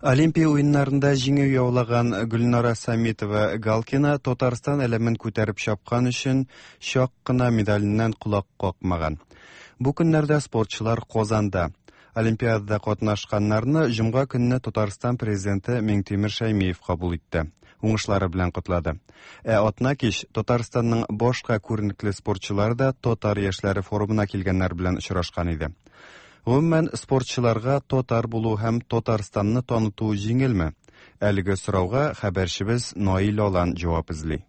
Speaker 1: Олимпия уеннарында җиңү яулаган Гөлнара Самитова Галкина Татарстан әләмен күтәреп чапкан өчен чак кына медаленнән колак какмаган. Бу көннәрдә спортчылар Казанда. Олимпиадада катнашканнарны җомга көнне Татарстан президенты Миңтимер Шәймиев кабул итте. Уңышлары белән котлады. Ә атна кич Татарстанның башка күренекле спортчылары да Татар яшьләре форумына килгәннәр белән очрашкан иде. Гомумән, спортчыларга татар булу һәм Татарстанны таныту җиңелме? Әлеге сорауга хәбәрчебез Наил Алан җавап эзли.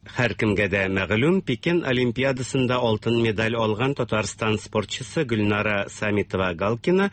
Speaker 18: Һәркемгә дә мәгълүм, Пекин Олимпиадасында алтын медаль алган Татарстан спортчысы Гөлнара Самитова-Галкина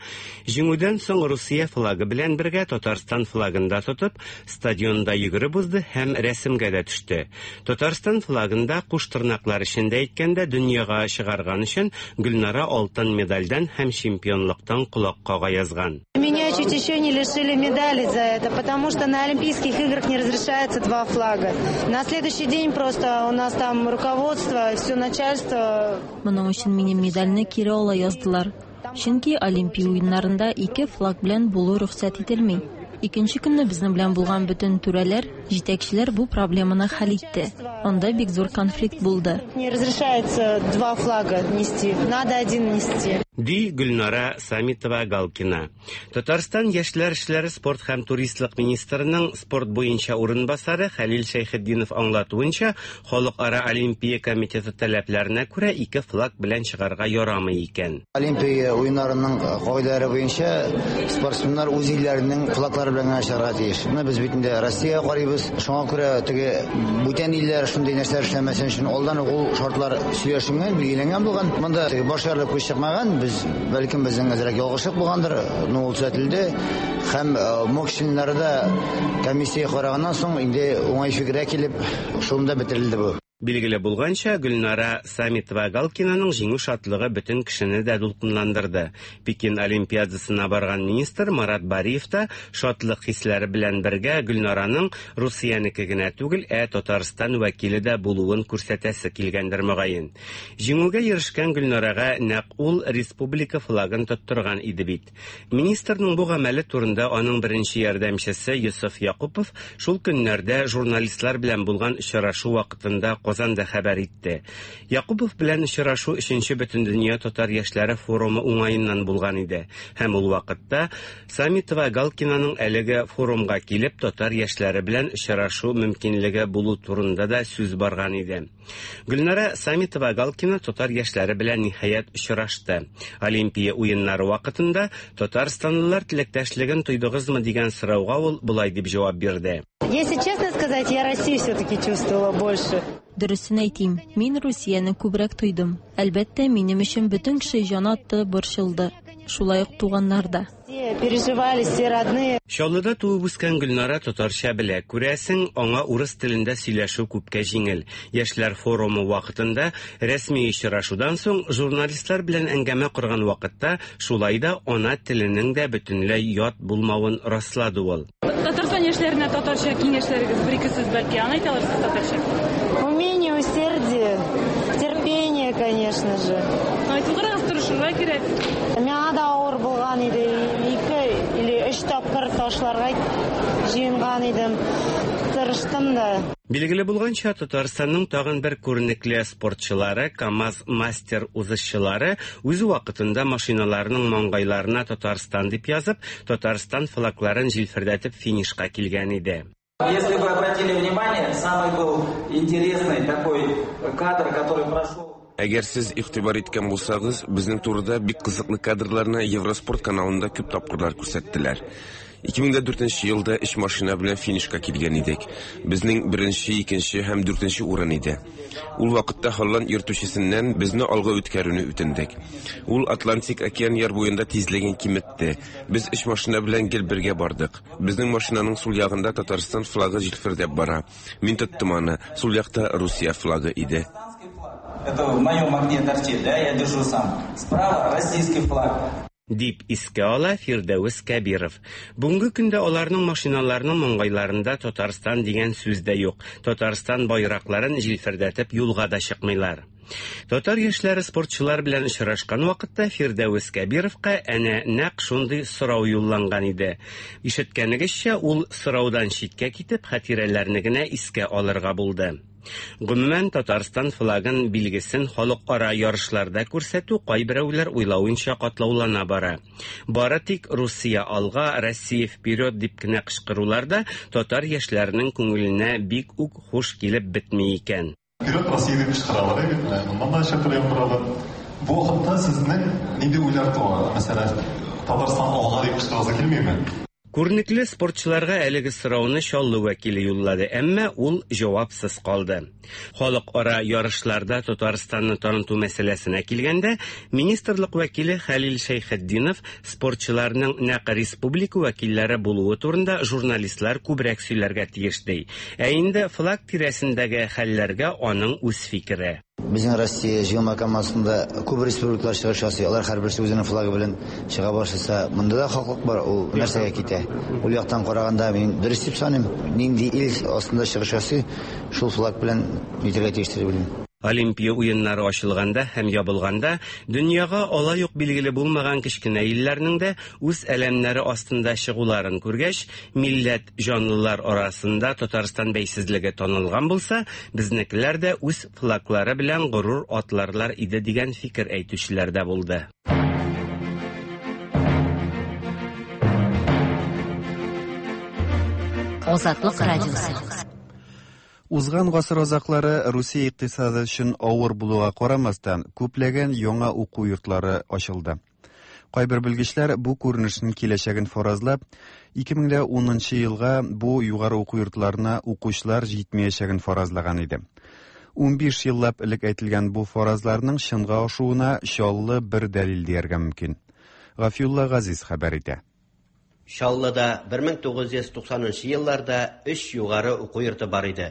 Speaker 18: җиңүдән соң Русия флагы белән бергә Татарстан флагын да тотып, стадионда йөгереп узды һәм рәсемгә дә төште. Татарстан флагында куш тырнаклар эчендә әйткәндә дөньяга чыгарган өчен Гөлнара алтын медальдән һәм чемпионлыктан колак кага язган.
Speaker 19: Меня чуть еще не лишили медали за это, потому что на Олимпийских играх не разрешается два флага. На следующий день просто у нас там руководство, все начальство.
Speaker 20: Моның өчен минем медальне кире ала яздылар. Чөнки Олимпия уеннарында ике флаг белән булу рөхсәт ителми. Икенче көнне безнең белән булган бөтен түрәләр, җитәкчеләр бу проблеманы хәл итте. Анда бик зур конфликт булды.
Speaker 19: Не разрешается два флага нести, надо один нести.
Speaker 18: Ди Гөлнара Самитова-Галкина. Татарстан яшьләр эшләре, спорт һәм туристлык министрының спорт буенча урынбасары Хәлил Шәйхетдинов аңлатуынча, Халыкара Олимпия комитеты таләпләренә күрә ике флаг белән чыгарга ярамый икән.
Speaker 21: Олимпия уеннарының кагыйдәләре буенча спортсменнар үз илләренең флаглары белән генә чыгарга тиеш. Моны без бит инде Россиягә карыйбыз. Шуңа күрә теге бүтән илләр шундый нәрсәләр эшләмәсен өчен алдан ук ул шартлар сөйләшенгән, билгеләнгән булган. Монда теге баш ярылып күз чыкмаган. Без бәлкем безнең әзрәк ялгышлык булгандыр, но ул төзәтелде. Һәм МОК членнары да комиссия караганнан соң инде уңай фикергә килеп, шунда бетерелде бу.
Speaker 18: Билгеле булганча, Гөлнара Самитова-Галкинаның җиңү шатлыгы бөтен кешене дә дулкынландырды. Пекин Олимпиадасына барган министр Марат Бариев та шатлык хисләре белән бергә Гөлнараның Русиянеке генә түгел, ә Татарстан вәкиле дә булуын күрсәтәсе килгәндер мөгаен. Җиңүгә ирешкән Гөлнарага нәкъ ул республика флагын тоттырган иде бит. Министрның бу гамәле турында аның беренче ярдәмчесе Йосыф Якупов шул көннәрдә журналистлар белән булган очрашу вакытында Казанда хәбәр итте. Якупов белән очрашу өченче Бөтендөнья татар яшьләре форумы уңаеннан булган иде. Һәм ул вакытта Самитова-Галкинаның әлеге форумга килеп татар яшьләре белән очрашу мөмкинлеге булу турында да сүз барган иде. Гөлнара Самитова-Галкина татар яшьләре белән ниһаять очрашты. Олимпия уеннары вакытында татарстанлылар теләктәшлеген тойдыгызмы дигән сорауга ул болай дип җавап бирде.
Speaker 19: Если честно сказать, я Россию все-таки чувствовала больше.
Speaker 20: Дөресен әйтим, мин Русияне күбрәк тойдым. Әлбәттә, минем өчен бөтен кеше җан атты, борчылды. Шулай ук туганнар да.
Speaker 19: Переживали все родные.
Speaker 18: Чаллыда туып үскән Гөлнара татарча белә. Күрәсең, аңа урыс телендә сөйләшү күпкә җиңел. Яшьләр форумы вакытында рәсми очрашудан соң журналистлар белән әңгәмә корган вакытта шулай да ана теленең дә бөтенләй ят булмавын раслады ул.
Speaker 22: Татарстан яшьләренә татарча киңәшләрегез бер ике сүз бәлки аны әйтә алырсыз татарча.
Speaker 19: Умение, усердие, терпение, конечно же.
Speaker 22: Айтып карагыз, тырышырга кирәк.
Speaker 19: Миңа да авыр булган иде. Ике или өч тапкыр ташларга җыенган идем. Тырыштым да.
Speaker 18: Билгеле булганча, Татарстанның тагын бер күренекле спортчылары, КАМАЗ мастер узышчылары үз вакытында машиналарының маңгайларына Татарстан дип язып, Татарстан флагларын җилфердәтеп финишка килгән иде.
Speaker 23: Если вы обратили внимание, самый был интересный такой кадр, который прошел.
Speaker 24: Әгәр сез игътибар иткән булсагыз, безнең турыда бик кызыклы кадрларны Евроспорт каналында күп тапкырлар күрсәттеләр. ике мең дүртенче елда өч машина белән финишка килгән идек. Безнең беренче, икенче һәм дүртенче урын иде. Ул вакытта Холланд йөртүчесеннән безне алга үткәрүне үтендек. Ул Атлантик океан яр буенда тизлеген киметте. Без өч машина белән гел бергә бардык. Безнең машинаның сул ягында Татарстан флагы җилфердәп бара. Мин тоттым аны. Сул якта Русия флагы иде.
Speaker 23: Это в моем окне торчит, да, я держу сам. Справа российский флаг.
Speaker 18: Дип искә ала Фирдәвес Кәбиров. Бүгенге көндә аларның машиналарының маңгайларында Татарстан дигән сүз дә юк. Татарстан байракларын җилфердәтеп юлга да чыкмыйлар. Татар яшьләре спортчылар белән очрашкан вакытта Фирдәвес Кәбировка әнә нәкъ шундый сорау юлланган иде. Ишеткәнегезчә, ул сораудан читкә китеп, хатирәләрне генә искә алырга булды. Гомумән, Татарстан флагын билгесен халыкара ярышларда күрсәтү кайберәүләр уйлавынча катлаулана бара. Бары тик Русия алга, Россия вперед дип кенә кычкырулар да татар яшьләренең күңеленә бик үк хуш килеп бетми икән.
Speaker 25: Вперед Россия дип кычкыралар, моннан да чакырып торалар. Бу вакытта сезнең нинди уйлар туа? Мәсәлән, Татарстан алга дип кычкырасы килмиме?
Speaker 18: Күренекле спортчыларга әлеге сорауны Чаллы вәкиле юллады, әмма ул җавапсыз калды. Халыкара ярышларда Татарстанны таныту мәсьәләсенә килгәндә, министрлык вәкиле Хәлил Шәйхетдинов спортчыларның нәкъ республика вәкилләре булуы турында журналистлар күбрәк сөйләргә тиеш ди. Ә инде флаг тирәсендәге хәлләргә аның үз фикере.
Speaker 21: Безнең Россия җыелма командасында күп республикалар чыгыш ясый, алар һәрберсе үзенең флагы белән чыга башласа, монда да хаклык бар, ул нәрсәгә китә. Ул яктан караганда мин дөрес дип саныйм. Нинди ил астында чыгыш ясый, шул флаг белән нитәргә тиеш дип уйлыйм.
Speaker 18: Олимпия уеннары ачылганда һәм ябылганда дөньяга алай ук билгеле булмаган кечкенә илләрнең дә үз әләмнәре астында чыгуларын күргәч, милләт җанлылар арасында Татарстан бәйсезлеге танылган булса, безнекеләр дә үз флаглары белән горур атларлар иде дигән фикер әйтүчеләр дә булды.
Speaker 6: Азатлык радиосы.
Speaker 1: Узган гасыр азаклары Русия икътисады өчен авыр булуга карамастан, күпләгән яңа уку йортлары ачылды. Кайбер белгечләр бу күренешнең киләчәген фаразлап, ике мең дә унынчы елга бу югары уку йортларына укучылар җитмәячәген фаразлаган иде. Унбиш еллап элек әйтелгән бу фаразларның чынга ашуына Чаллы бер дәлил дияргә мөмкин. Гафиулла Газиз хәбәр итә.
Speaker 3: Чаллыда бер мең тугыз йөз туксанынчы елларда өч югары уку йорты бар иде.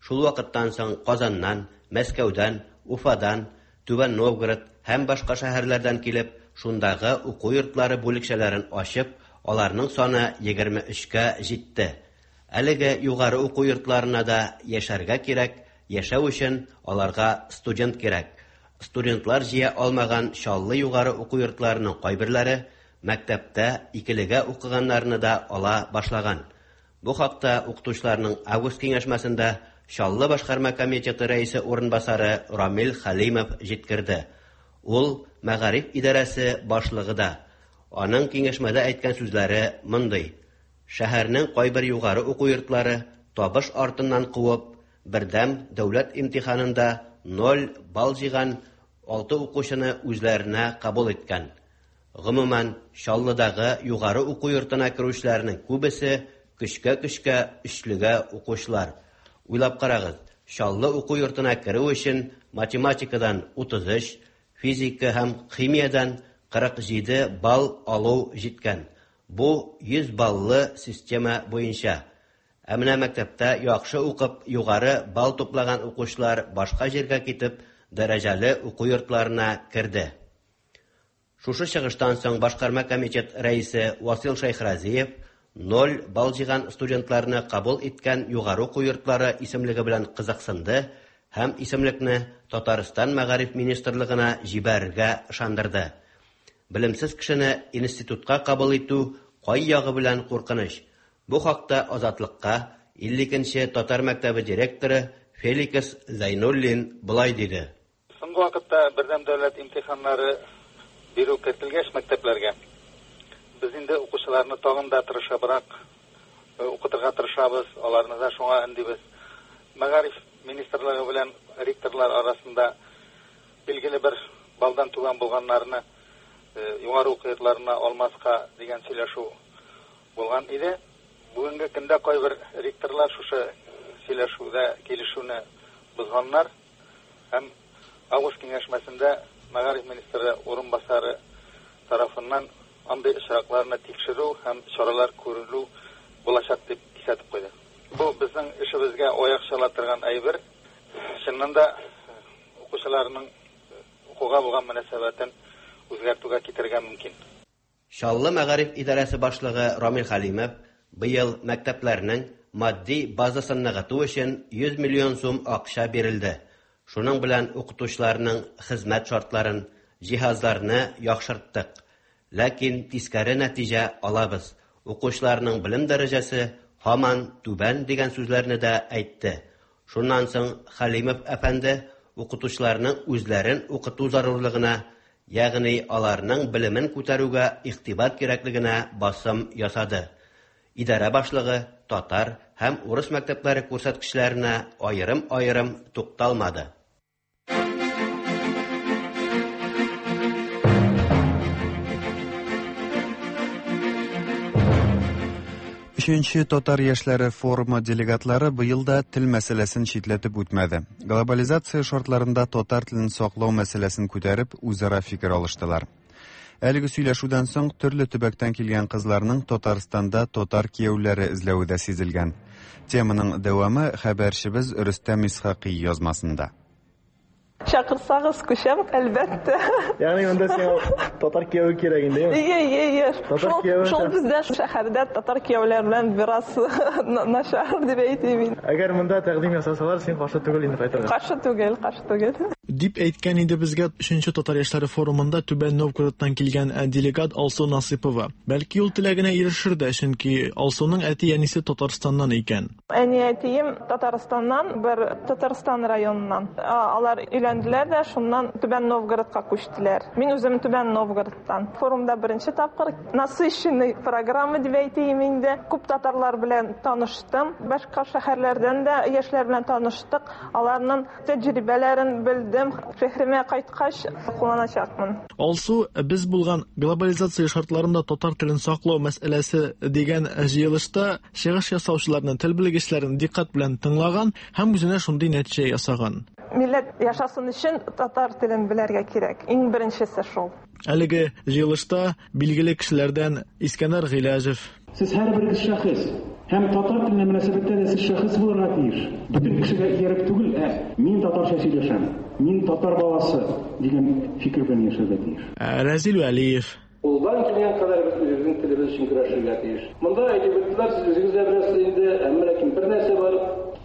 Speaker 3: Шул вакыттан соң Казаннан, Мәскәүдән, Уфадан, Түбән Новгород һәм башка шәһәрләрдән килеп, шундагы уку йортлары бүлекчәләрен ачып, аларның саны егерме өчкә җитте. Әлеге югары уку йортларына да яшәргә кирәк, яшәү өчен аларга студент кирәк. Студентлар җыя алмаган Чаллы югары уку йортларының кайберләре мәктәптә икелегә укыганнарны да ала башлаган. Бу хакта укытучыларның август киңәшмәсендә Чаллы башкарма комитеты рәисе урынбасары Рамил Хәлимов җиткерде. Ул мәгариф идарәсе башлыгы да. Аның киңәшмәдә әйткән сүзләре мондый: Шәһәрнең кайбер югары уку йортлары табыш артыннан куып, бердәм дәүләт имтиханында ноль балл җыйган алты укучыны үзләренә кабул иткән. Гомумән, Чаллыдагы югары уку йортына керүчеләрнең күбесе көчкә-көчкә өчлегә укучылар. Уйлап карагыз, Чаллы уку йортына керү өчен математикадан утыз өч, физика һәм химиядән кырык җиде балл алу җиткән. Бу йөз баллы система буенча. Ә менә мәктәптә яхшы укып, югары балл туплаган укучылар башка җиргә китеп, дәрәҗәле уку йортларына керде. Шушы чыгыштан соң башкарма комитет рәисе Васил Шәйхразиев ноль балл җыйган студентларны кабул иткән югары уку йортлары исемлеге белән кызыксынды һәм исемлекне Татарстан мәгариф министрлыгына җибәрергә ышандырды. Белемсез кешене институтка кабул итү кай ягы белән куркыныч. Бу хакта Азатлыкка илле икенче татар мәктәбе директоры Феликс Зайнуллин былай диде.
Speaker 4: Соңгы вакытта бердәм дәүләт имтиханнары бирү кертелгәч мәктәпләргә, без инде укучыларны тагын да тырышыбрак укытырга тырышабыз, аларны да шуңа өндибез. Мәгариф министрлыгы белән ректорлар арасында билгеле бер балдан түбән булганнарны югары уку йортларына алмаска дигән сөйләшү булган иде. Бүгенге көндә кайбер ректорлар шушы сөйләшүдә килешүне бозганнар һәм август киңәшмәсендә мәгариф министры урынбасары тарафыннан андый очракларны тикшерү һәм чаралар күрелү булачак дип кисәтеп куйды. Бу безнең эшебезгә аяк чала торган әйбер. Чыннан да укучыларның укуга булган мөнәсәбәтен үзгәртүгә китерергә мөмкин.
Speaker 3: Чаллы мәгариф идарәсе башлыгы Рамил Хәлимов быел мәктәпләрнең матди базасын ныгыту өчен йөз миллион сум акча бирелде. Шуның белән укытучыларның хезмәт шартларын, җиһазларны яхшырттык. Ләкин тискәре нәтиҗә алабыз. Укучыларның белем дәрәҗәсе һаман түбән дигән сүзләрне дә әйтте. Шуннан соң Хәлимов әфәнде укытучыларның үзләрен укыту зарурлыгына, ягъни аларның белемен күтәрүгә игътибар кирәклегенә басым ясады. Идарә башлыгы татар һәм урыс мәктәпләре күрсәткечләренә аерым-аерым тукталмады.
Speaker 1: Өченче татар яшьләре форумы делегатлары быел да тел мәсьәләсен читләтеп үтмәде. Глобализация шартларында татар телен саклау мәсьәләсен күтәреп, үзара фикер алыштылар. Әлеге сөйләшүдән соң төрле төбәктән килгән кызларның Татарстанда татар кияүләре эзләве дә сизелгән. Теманың дәвамы хәбәрчебез Рөстәм Исхакый язмасында.
Speaker 5: Чакырсагыз күчәм, әлбәттә.
Speaker 8: Ягъни монда сиңа татар кияве кирәк инде, әйеме?
Speaker 5: Ие, ие, ие.
Speaker 8: Татар
Speaker 5: Шул,
Speaker 8: кияве
Speaker 5: шул бездә шәһәрдә татар кияүләр белән бераз начар дип әйтим инде.
Speaker 8: Әгәр монда тәкъдим ясасалар, син каршы түгел инде кайтырга.
Speaker 5: Каршы түгел, каршы түгел.
Speaker 9: Дип әйткән иде безгә өченче татар яшьләре форумында Түбән Новгородтан килгән делегат Алсу Насыпова. Бәлки ул теләгенә ирешер дә, чөнки Алсуның әти-әнисе Татарстаннан икән.
Speaker 5: Әни-әтием Татарстаннан, бер Татарстан районыннан. Алар өйләнделәр дә, шуннан Түбән Новгородка күчтеләр. Мин үзем Түбән Новгородтан. Форумда беренче тапкыр насыщенный программа дип әйтим инде. Күп татарлар белән таныштым. Башка шәһәрләрдән дә яшьләр белән таныштык. Аларның тәҗрибәләрен белдем. Шәһәремә кайткач кулланачакмын.
Speaker 9: Алсу, без булган глобализация шартларында татар телен саклау мәсьәләсе дигән җыелышта чыгыш ясаучыларны, тел белгечләрен диккать белән тыңлаган һәм үзенә шундый нәтиҗә ясаган.
Speaker 5: Милләт яшасын өчен татар телен белергә кирәк. Иң беренчесе шул.
Speaker 9: Әлеге җыелышта билгеле кешеләрдән Искәндәр Гыйләҗев.
Speaker 10: Сез һәрберегез шәхес һәм татар теленә мөнәсәбәттә дә сез шәхес булырга тиеш. Бөтен кешегә ияреп түгел, ә мин татарча сөйләшәм, мин татар баласы дигән фикер белән яшәргә тиеш.
Speaker 9: Рәзил Вәлиев.
Speaker 16: Кулдан килгән кадәр без үзебезнең телебез өчен көрәшергә тиеш. Монда әйтеп үттеләр, сез үзегез дә беләсез инде, әмма ләкин бер нәрсә бар.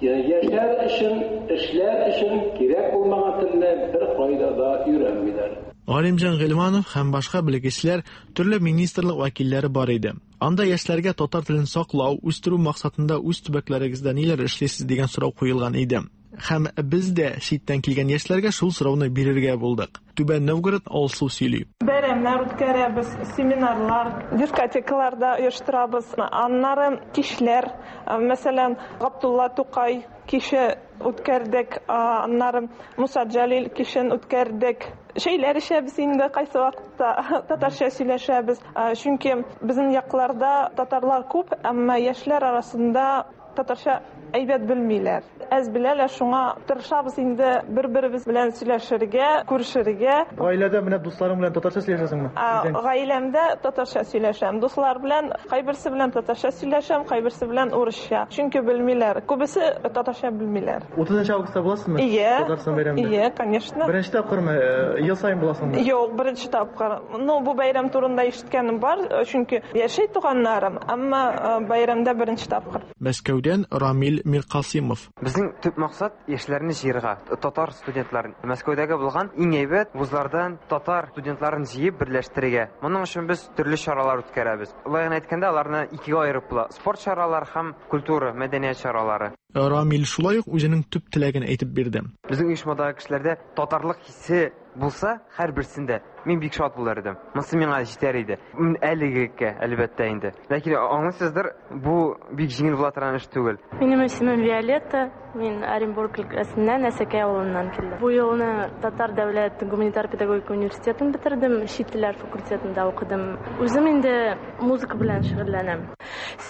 Speaker 16: Яшәр өчен, эшләр өчен кирәк булмаган телне бер кайда да өйрәнмиләр.
Speaker 9: Галимҗан Гыйльманов һәм башка белгечләр, төрле министрлык вәкилләре бар иде. Анда яшьләргә татар телен саклау, үстерү максатында үз төбәкләрегездә ниләр эшлисез дигән сорау куелган иде. Һәм без дә читтән килгән яшьләргә шул сорауны бирергә булдык. Түбән Новгород Алсу сөйли.
Speaker 5: Бәйрәмнәр үткәрәбез, семинарлар, дискотекаларда оештырабыз. Аннары кичләр, мәсәлән, Габдулла Тукай киче үткәрдек, аннары Муса Җәлил кичен үткәрдек. Шәйләр эчәбез инде кайсы вакытта, татарча сөйләшәбез. Чөнки безнең якларда татарлар күп, әмма яшьләр арасында татарча әйбәт белмиләр. Әз беләләр, шуңа тырышабыз инде бер-беребез белән сөйләшергә, күрешергә.
Speaker 8: Гаиләдә менә дусларың белән татарча сөйләшәсеңме?
Speaker 5: Гаиләмдә татарча сөйләшәм. Дуслар белән кайберсе белән татарча сөйләшәм, кайберсе белән урысча. Чөнки белмиләр. Күбесе татарча белмиләр.
Speaker 8: утызынчы августта буласызмы?
Speaker 5: Ие.
Speaker 8: Татарстан бәйрәмендә.
Speaker 5: Ие, конечно.
Speaker 8: Беренче тапкырмы? Ел саен буласыңмы?
Speaker 5: Юк, беренче тапкыр. Ну, бу бәйрәм турында ишеткәнем бар, чөнки яши туганнарым, әмма бәйрәмдә беренче тапкыр.
Speaker 9: Мәскәүдән Рамил Миркасимов.
Speaker 11: Безнең төп максат яшьләрне җыярга, татар студентларын. Мәскәүдәге булган иң әйбәт вузлардан татар студентларын җыеп берләштерергә. Моның өчен без төрле чаралар үткәрәбез. Улай гына әйткәндә, аларны икегә аерып була: спорт чаралары һәм культура, мәдәният чаралары.
Speaker 9: Рамил шулай ук үзенең төп теләген әйтеп бирде.
Speaker 11: Безнең оешмадагы кешеләрдә татарлык хисе булса, һәрберсендә мин бик шат булыр идем. Монысы миңа җитәр иде. Мин әлегеккә, әлбәттә инде. Ләкин аңлыйсыздыр, бу бик җиңел була торган эш түгел.
Speaker 26: Минем исемем Виолетта. Мин Оренбург өлкәсеннән, Әсәкәй авылыннан килдем. Бу елны Татар дәүләт гуманитар педагогика университетын бетердем, чит телләр факультетында укыдым. Үзем инде музыка белән шөгыльләнәм.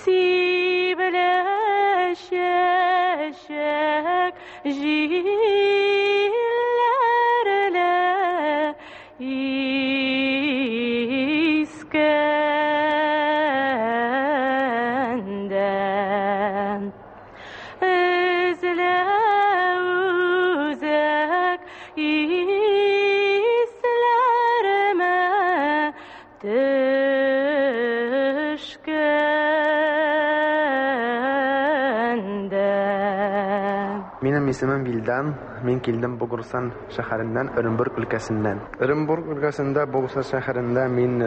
Speaker 26: Сибелә чәчәк җилләрлә искәндә өзелә үзәк исләремә төшкәндә.
Speaker 27: Минем исемем Вилдан, мин килдем Богорсан шәһәреннән, Оренбург өлкәсеннән. Оренбург өлкәсендә, Богорсан шәһәрендә мин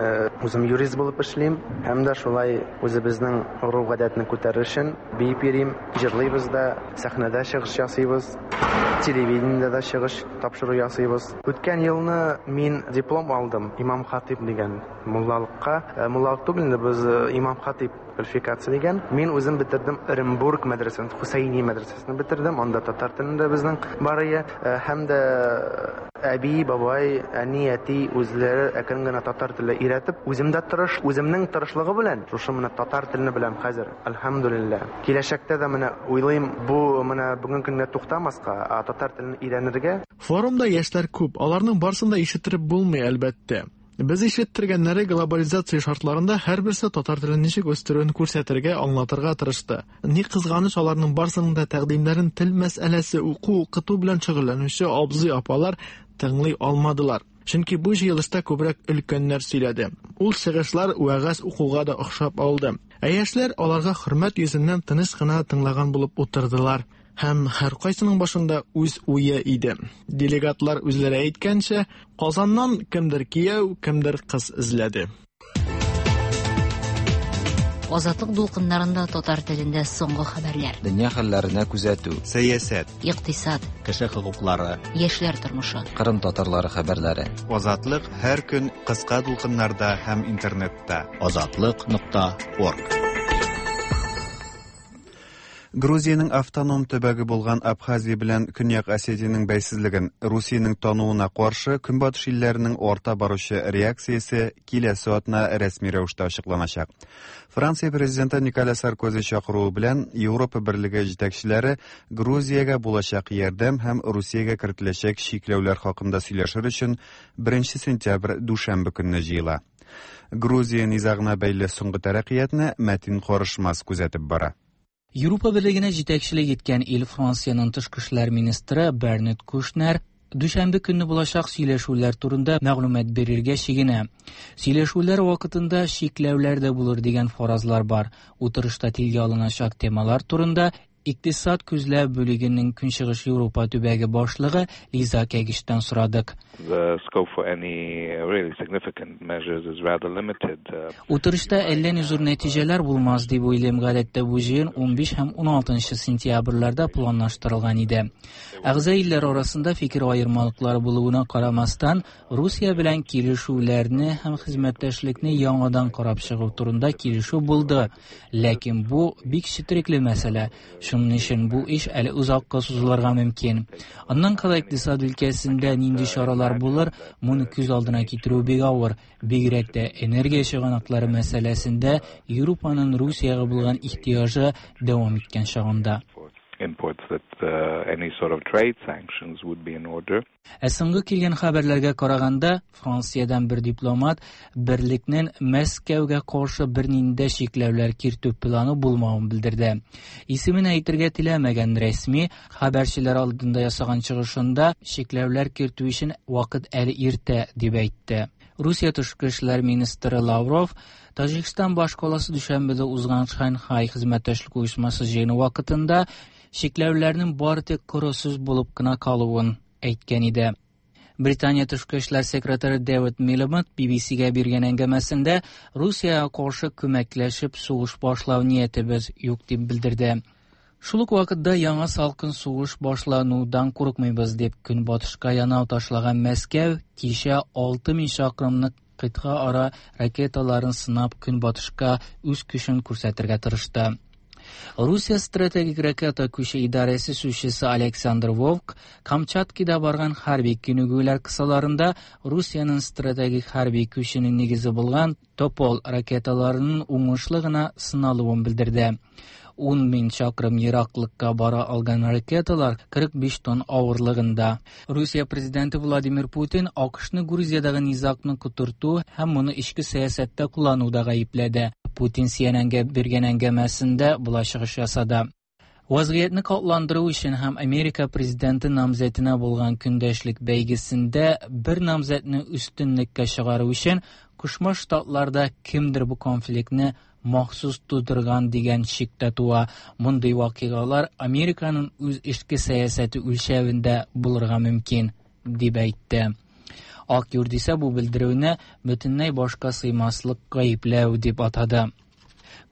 Speaker 27: үзем юрист булып эшлим һәм дә шулай үзебезнең гореф-гадәтне күтәрер өчен биеп йөрим, җырлыйбыз да, сәхнәдә чыгыш ясыйбыз, телевидениедә дә чыгыш тапшыру ясыйбыз. Үткән елны мин диплом алдым имам хатип дигән муллалыкка. Муллалык түгел инде, без имам хатип квалификация дигән. Мин үзем бетердем Оренбург мәдрәсәсен, Хусайни мәдрәсәсен бетердем. Анда татар телендә безнең бар ие. Һәм дә әби, бабай, әни, әти үзләре әкрен генә татар теле өйрәтеп, үзем дә тырыш, үземнең тырышлыгы белән шушы менә татар телне беләм хәзер, әлхәмдүлилләһ. Киләчәктә дә менә уйлыйм, бу менә бүгенге көнгә туктамаска, ә татар телен өйрәнергә.
Speaker 9: Форумда яшьләр күп, аларның барысын да ишеттереп булмый, әлбәттә. Без ишеттергәннәре глобализация шартларында һәрберсе татар телен ничек үстерүен күрсәтергә, аңлатырга тырышты. Ни кызганыч, аларның барысының да тәкъдимнәрен тел мәсьәләсе уку-укыту белән шөгыльләнүче абзый-апалар тыңлый алмадылар. Чөнки бу җыелышта күбрәк өлкәннәр сөйләде. Ул чыгышлар вәгазь укуга да охшап алды. Ә яшьләр аларга хөрмәт йөзеннән тыныч кына тыңлаган булып утырдылар. Һәм һәркайсының башында үз уе иде. Делегатлар үзләре әйткәнчә, Казаннан кемдер кияү, кемдер кыз эзләде.
Speaker 6: Азатлык дулкыннарында татар телендә соңгы хәбәрләр.
Speaker 2: Дөнья хәлләренә күзәтү.
Speaker 1: Сәясәт.
Speaker 6: Икътисад.
Speaker 2: Кеше хокуклары.
Speaker 6: Яшьләр тормышы.
Speaker 2: Кырым татарлары хәбәрләре.
Speaker 1: Азатлык һәр көн кыска дулкыннарда һәм интернетта.
Speaker 2: Азатлык нокта орг.
Speaker 1: Грузиянең автоном төбәге булган Абхазия белән Көньяк Осетиянең бәйсезлеген Русиянең тануына каршы Көнбатыш илләренең арта баручы реакциясе киләсе атна рәсми рәвештә ачыкланачак. Франция президенты Николя Саркози чакыруы белән Европа Берлеге җитәкчеләре Грузиягә булачак ярдәм һәм Русиягә кертеләчәк чикләүләр хакында сөйләшер өчен беренче сентябрь дүшәмбе көнне җыела. Грузия низагына бәйле соңгы тәрәккыятны Мәтин Карышмас күзәтеп бара.
Speaker 7: Европа Берлегенә җитәкчелек иткән ил Франциянең тышкы эшләр министры Бернард Кушнер дүшәмбе көнне булачак сөйләшүләр турында мәгълүмат бирергә чигенә. Сөйләшүләр вакытында чикләүләр дә булыр дигән фаразлар бар. Утырышта телгә алыначак темалар турында Икътисад күзләү бүлегенең Көнчыгыш Европа төбәге башлыгы Лиза Кәгиштән сорадык. Утырышта әллә ни зур нәтиҗәләр булмас дип уйлыйм. Гадәттә бу җыен унбиш һәм уналтынчы сентябрьләрдә планлаштырылган иде. Әгъза илләр арасында фикер аермалыклары булуына карамастан, Русия белән килешүләрне һәм хезмәттәшлекне яңадан карап чыгу турында килешү булды. Ләкин бу бик четерекле мәсьәлә. Шуның өчен бу эш әле озакка сузылырга мөмкин. Аннан кала икътисад өлкәсендә нинди чаралар булыр, моны күз алдына китерү бик авыр. Бигрәк тә энергия чыганаклары мәсьәләсендә Европаның Русиягә булган ихтыяҗы дәвам иткән чагында. Ә соңгы килгән хәбәрләргә караганда, Франциядән бер дипломат берлекнең Мәскәүгә каршы бернинди чикләүләр кертү планы булмавын белдерде. Исемен әйтергә теләмәгән рәсми хәбәрчеләр алдында ясаган чыгышында чикләүләр кертү өчен вакыт әле иртә дип әйтте. Русия тышкы эшләр министры Лавров Таҗикстан башкаласы Дүшәнбедә узган Шанхай хезмәттәшлек оешмасы җыены вакытында чикләүләрнең бары тик коры сүз булып кына калуын әйткән иде. Британия тышкы эшләр секретаре Дэвид Милибанд Би Би Си-гә биргән әңгәмәсендә Русиягә каршы күмәкләшеп сугыш башлау ниятебез юк дип белдерде. Шул ук вакытта яңа салкын сугыш башланудан курыкмыйбыз дип көнбатышка янау ташлаган Мәскәү кичә алты мең чакрымлык кыйтга ара ракеталарын сынап көнбатышка үз көчен күрсәтергә тырышты. Русия стратегик ракета күче идарәсе сүзчесе Александр Вовк Камчаткада барган хәрби күнегүләр кысаларында Русиянең стратегик хәрби күченең нигезе булган Топол ракеталарының уңышлы гына сыналуын белдерде. ун мең чакрым ераклыкка бара алган ракеталар кырык биш тонна авырлыгында. Русия президенты Владимир Путин АКШны Грузиядагы низагны котырту һәм моны эчке сәясәттә куллануда гаепләде. Путин Си Эн Энгә биргән әңгәмәсендә болай чыгыш ясады. Вазгыятьне катландыру өчен һәм Америка президенты намзәтенә булган көндәшлек бәйгесендә бер намзәтне өстенлеккә чыгару өчен Кушма Штатларда кемдер бу конфликтны махсус тудырган дигән шик тә туа. Мондый вакыйгалар Американың үз эчке сәясәте үлчәвендә булырга мөмкин, дип әйтте. Ак Йорт исә бу белдерүне бөтенләй башка сыймаслык гаепләү дип атады.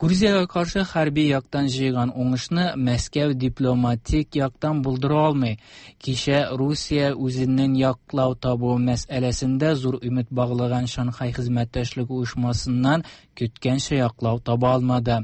Speaker 7: Грузиягә каршы хәрби яктан җыйган уңышны Мәскәү дипломатик яктан булдыра алмый. Кичә Русия үзенең яклау табу мәсьәләсендә зур өмет баглаган Шанхай хезмәттәшлек оешмасыннан көткәнчә яклау таба алмады.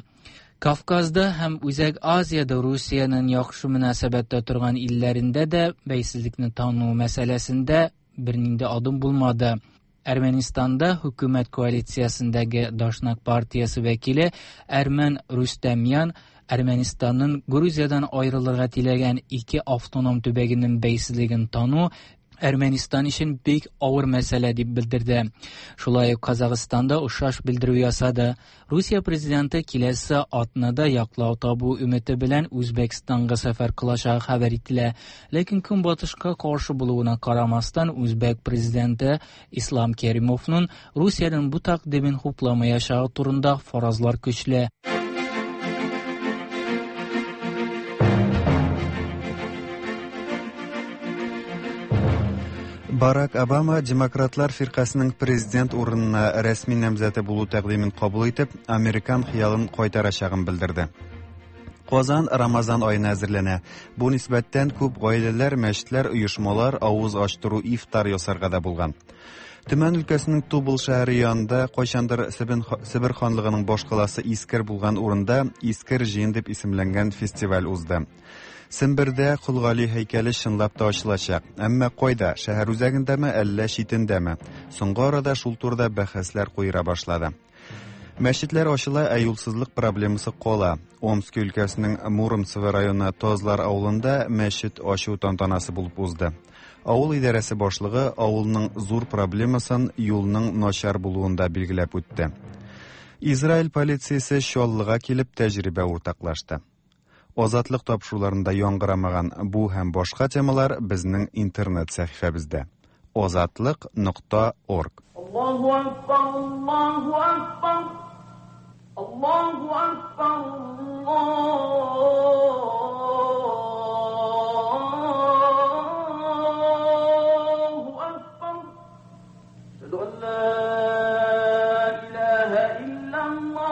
Speaker 7: Кавказда һәм Үзәк Азиядә Русиянең яхшы мөнәсәбәттә торган илләрендә дә бәйсезлекне тану мәсьәләсендә бернинди адым булмады. Әрмәнистанда хөкүмәт коалициясендәге Дашнак партиясе вәкиле Әрмән Рустамян Әрмәнистанның Грузиядан аерылырга теләгән ике автоном төбәгенең бәйсезлеген тану Әрмәнистан өчен бик авыр мәсьәлә дип белдерде. Шулай ук Казахстанда охшаш белдерү ясады. Русия президенты киләсе атнада яклау табу өмете белән Үзбәкстанга сәфәр кылачагы хәбәр ителә. Ләкин Көнбатышка каршы булуына карамастан, Үзбәк президенты Ислам Керимовның Русиянең бу тәкъдимен хупламаячагы турында фаразлар көчле.
Speaker 1: Барак Обама Демократлар фиркасының президент урынына рәсми намзәте булу тәкъдимен кабул итеп, американ хыялын кайтарачагын белдерде. Казан Рамазан аена әзерләнә. Бу нисбәттән күп гаиләләр, мәчетләр, оешмалар авыз ачтыру ифтар ясарга да булган. Төмән өлкәсенең Тубыл шәһәре янында кайчандыр Себер ханлыгының башкаласы Искер булган урында Искер җыен дип исемләнгән фестиваль узды. Сембердә Кол Гали һәйкәле чынлап та ачылачак. Әмма кайда? Шәһәр үзәгендәме, әллә читендәме? Соңгы арада шул турыда бәхәсләр куера башлады. Мәчетләр ачыла, ә юлсызлык проблемасы кала. Омск өлкәсенең Муромцево районы Тазлар авылында мәчет ачу тантанасы булып узды. Авыл идарәсе башлыгы авылның зур проблемасын юлның начар булуында билгеләп үтте. Израиль полициясе Чаллыга килеп тәҗрибә уртаклашты. Азатлык тапшыруларында яңгырамаган бу һәм башка темалар безнең интернет сәхифәбездә. Азатлык нокта орг.
Speaker 12: Аллаһу акбар, Аллаһу акбар, Аллаһу акбар, Аллаһу акбар. Әшһәду ан ла илаһа иллаллаһ.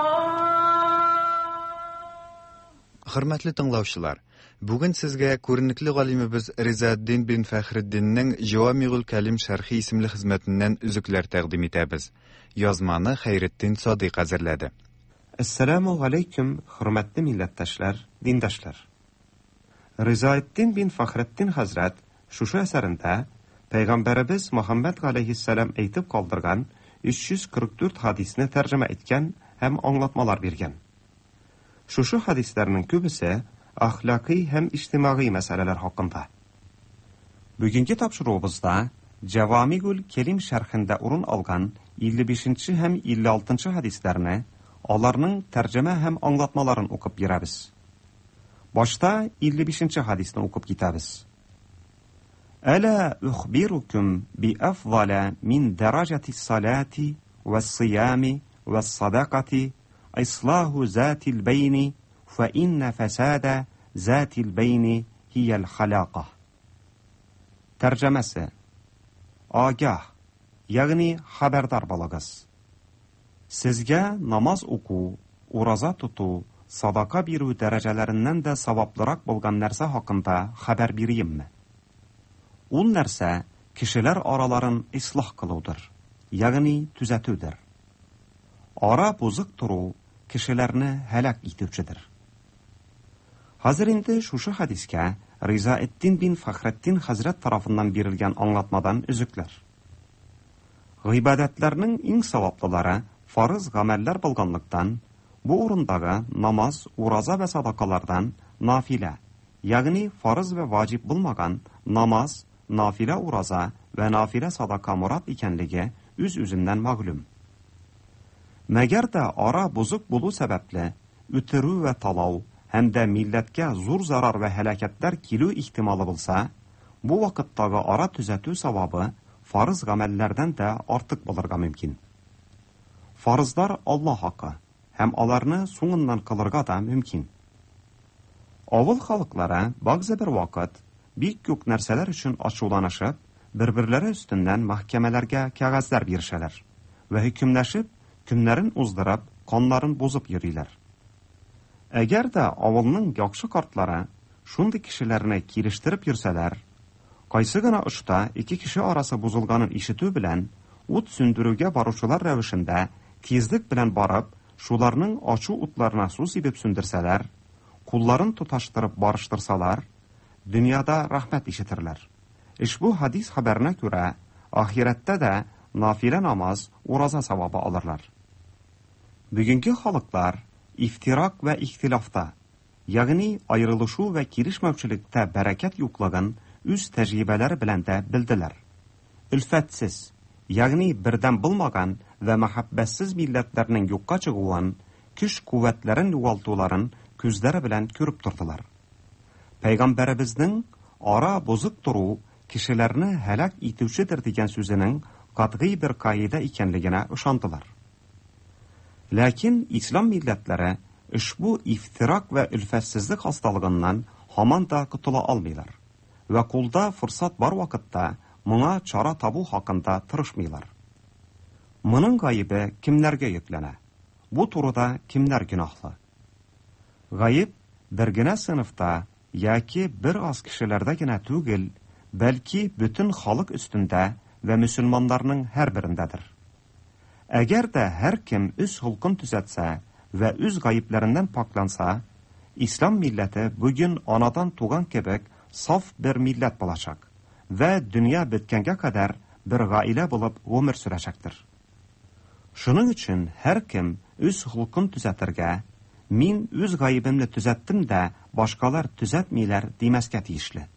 Speaker 1: Хөрмәтле тыңлаучылар, бүген сезгә күренекле галимебез Ризаэддин бин Фәхретдиннең Җавамигул Кәлим шәрхи исемле хезмәтеннән өзекләр тәкъдим итәбез. Язманы Хәйретдин Садыйк әзерләде.
Speaker 13: Әссәламу алейкум, хөрмәтле милләттәшләр, диндашлар. Ризаэддин бин Фәхретдин хәзрәт шушы әсәрендә Пәйгамбәребез Мөхәммәд галәйһиссәлам әйтеп калдырган өч йөз кырык дүрт хадисне тәрҗемә иткән һәм аңлатмалар биргән. Шушы хадисләрнең күбесе әхлакый һәм иҗтимагый мәсьәләләр хакында. Бүгенге тапшыруыбызда Җавамигул Кәлим шәрхендә урын алган илле бишенче һәм илле алтынчы хадисләрне, аларның тәрҗемә һәм аңлатмаларын укып бирәбез. Башта илле бишенче хадисне укып китәбез. Әла ухбирукум би афзала мин даражати салати вас-сиями вас-садақати إصلاح ذات البين فإن فساد ذات البين هي الخلاقة. Тәрҗемәсе: Агah, ягъни хәбәрдар булыгыз. Сезгә намаз уку, ураза тоту, садака бирү дәрәҗәләреннән дә саваплырак булган нәрсә хакында хәбәр биримме? Ул нәрсә кешеләр араларын ислах кылудыр, ягъни төзәтүдер. Ара бозык тору кешеләрне һәлак итүчедер. Хәзер инде шушы хадискә Ризаэддин бин Фәхретдин хәзрәт тарафыннан бирелгән аңлатмадан өзекләр. Гыйбадәтләрнең иң саваплылары фарыз гамәлләр булганлыктан, бу урындагы намаз, ураза вә садакалардан нафилә, ягъни фарыз вә ваҗиб булмаган намаз, нафилә ураза вә нафилә садака морад икәнлеге үз-үзеннән мәгълүм. Мәгәр дә ара бозык булу сәбәпле үтерү вә талау һәм дә милләткә зур зарар вә һәлакәтләр килү ихтималы булса, бу вакыттагы ара төзәтү савабы фарыз гамәлләрдән дә артык булырга мөмкин. Фарызлар Аллаһ хакы һәм аларны соңыннан кылырга да мөмкин. Авыл халыклары бәгъзе бер вакыт бик күп нәрсәләр өчен ачуланышып, бер-берләре өстеннән мәхкәмәләргә кәгазьләр бирешәләр вә хөкемләшеп, көннәрен уздырып, каннарын бозып йөриләр. Әгәр дә авылның яхшы картлары шундый кешеләрне килештереп йөрсәләр, кайсы гына очта ике кеше арасы бозылганын ишетү белән ут сүндерүгә баручылар рәвешендә тизлек белән барып, шуларның ачу утларына су сибеп сүндерсәләр, кулларын тоташтырып барыштырсалар, дөньяда рәхмәт ишетерләр. Ошбу хадис хәбәренә күрә, ахирәттә дә нафилә намаз, ураза савабы алырлар. Бүгенге халыклар ифтирак вә ихтилафта, ягъни аерылышу вә килешмәүчелектә бәрәкәт юклыгын үз тәҗрибәләре белән дә белделәр. Өлфәтсез, ягъни бердәм булмаган вә мәхәббәтсез милләтләрнең юкка чыгуын, көч-куәтләрен югалтуларын күзләре белән күреп тордылар. Пәйгамбәребезнең ара бозык тору кешеләрне һәлак итүчедер дигән сүзенең катгый бер каида икәнлегенә ышандылар. Ләкин ислам милләтләре ошбу ифтирак вә өлфәтсезлек хасталыгыннан һаман да котыла алмыйлар вә кулда форсат бар вакытта моңа чара табу хакында тырышмыйлар. Моның гаебе кемнәргә йөкләнә? Бу турыда кемнәр гөнаһлы? Гаеп бер генә сыйныфта яки бер аз кешеләрдә генә түгел, бәлки бөтен халык өстендә вә мөселманнарның һәрберендәдер. Әгәр дә һәркем үз холкын төзәтсә вә үз гаепләреннән пакланса, ислам милләте бүген анадан туган кебек саф бер милләт булачак вә дөнья беткәнгә кадәр бер гаилә булып гомер сөрәчәктер. Шуның өчен һәркем үз холкын төзәтергә, мин үз гаебемне төзәттем дә, башкалар төзәтмиләр димәскә тиешле.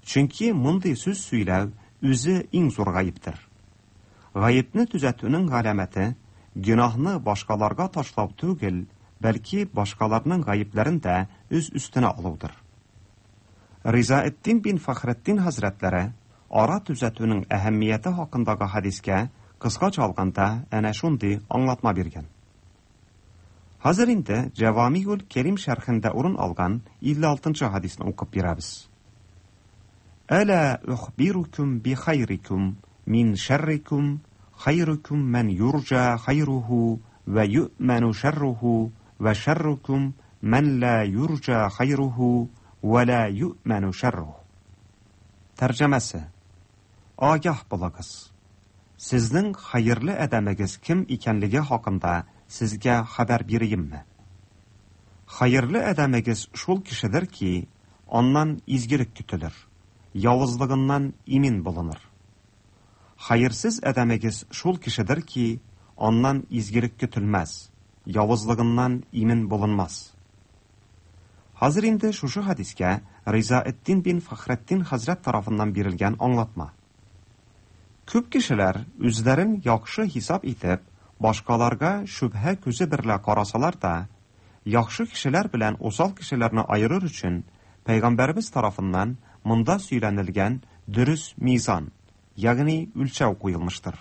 Speaker 13: Чөнки мондый сүз сөйләү үзе иң зур гаептер. Гаепне төзәтүнең галәмәте гөнаһны башкаларга ташлау түгел, бәлки башкаларның гаепләрен дә үз өстенә алудыр. Ризаэддин бин Фәхретдин хәзрәтләре ара төзәтүнең әһәмияте хакындагы хадискә кыскача алганда әнә шундый аңлатма биргән. Хәзер инде Җавамигул Кәрим шәрхендә урын алган илле алтынчы хадисны укып бирәбез. Әлә ухбирукум би хайрикум мин шәррикум хайрукум мән юрҗа хайруху вә юъмәну шәрруху вә шәррукум мән ла юрҗа хайруху вә ла юъмәну шәрруху. Тәрҗемәсе: Агah булыгыз. Сезнең хәерле адәмегез кем икәнлеге хакында сезгә хәбәр бирәемме? Хәерле адәмегез шул кешедер ки, аннан изгелек көтелер, явызлыгыннан имин булыныр. Хәерсез адәмегез шул кешедер ки, аннан изгелек көтелмәс, явызлыгыннан имин булынмас. Хәзер инде шушы хадискә Ризаэддин бин Фәхретдин хәзрәт тарафыннан бирелгән аңлатма. Күп кешеләр үзләрен яхшы хисап итеп, башкаларга шөбһә күзе берлә карасалар да, яхшы кешеләр белән усал кешеләрне айырыр өчен Пәйгамбәребез тарафыннан монда сөйләнелгән дөрес мизан, ягъни үлчәү куелмыштыр.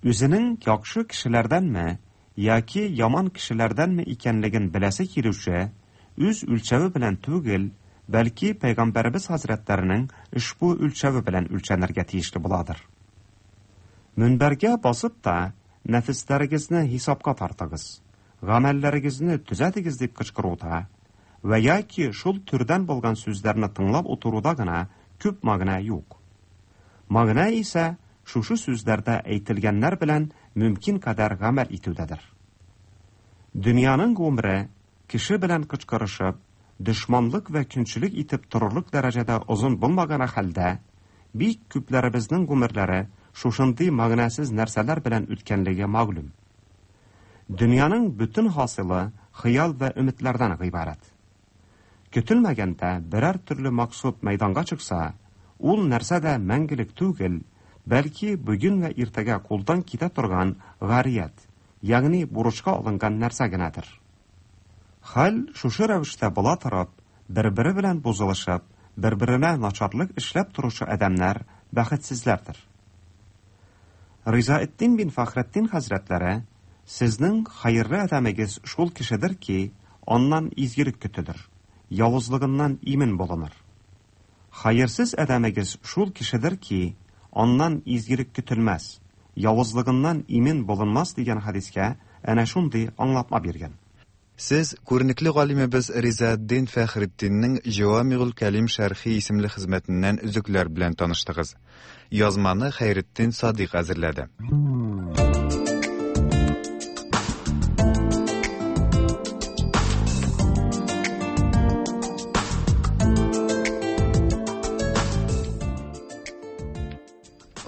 Speaker 13: Үзенең яхшы кешеләрдәнме яки яман кешеләрдәнме икәнлеген беләсе килүче үз үлчәве белән түгел, бәлки Пәйгамбәребез хәзрәтләренең ошбу үлчәве белән үлчәнергә тиешле буладыр. Мөнбәргә басып та нәфесләрегезне хисапка тартыгыз, гамәлләрегезне төзәтегез дип кычкыруда вә яки шул төрдән булган сүзләрне тыңлап утыруда гына күп мәгънә юк. Мәгънә исә шушы сүзләрдә әйтелгәннәр белән мөмкин кадәр гамәл итүдәдер. Дөньяның гомере кеше белән кычкырышып, дошманлык вә көнчелек итеп торырлык дәрәҗәдә озын булмаган хәлдә, бик күпләребезнең гомерләре шушындый мәгънәсез нәрсәләр белән үткәнлеге мәгълүм. Дөньяның бөтен хасилы хыял вә өметләрдән гыйбарәт. Көтелмәгәндә берәр төрле максат мәйданга чыкса, ул нәрсә дә мәңгелек түгел, бәлки бүген вә иртәгә кулдан китә торган гарият, ягъни бурычка алынган нәрсә генәдер. Хәл шушы рәвештә була торып, бер-бере белән бозылышып, бер-беренә начарлык эшләп торучы адәмнәр бәхетсезләрдер. Ризаэддин бин Фәхретдин хәзрәтләре сезнең хәерле адәмегез шул кешедер ки, аннан изгелек көтелер, явызлыгыннан имин булыныр. Хәерсез адәмегез шул кешедер ки, аннан изгелек көтелмәс, явызлыгыннан имин булынмас дигән хадискә әнә шундый аңлатма биргән.
Speaker 1: Сез күренекле галимебез Ризаэддин Фәхретдиннең Җавамигул Кәлим шәрхи исемле хезмәтеннән өзекләр белән таныштыгыз. Язманы Хәйретдин Садыйк әзерләде.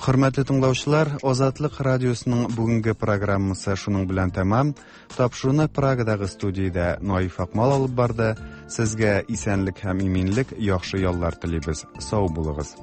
Speaker 1: Хөрмәтле тыңлаучылар, Азатлык радиосының бүгенге программасы шуның белән тәмам. Тапшыруны Прагадагы студиядә Наиф Акмал алып барды. Сезгә исәнлек һәм иминлек, яхшы яллар телибез. Сау булыгыз.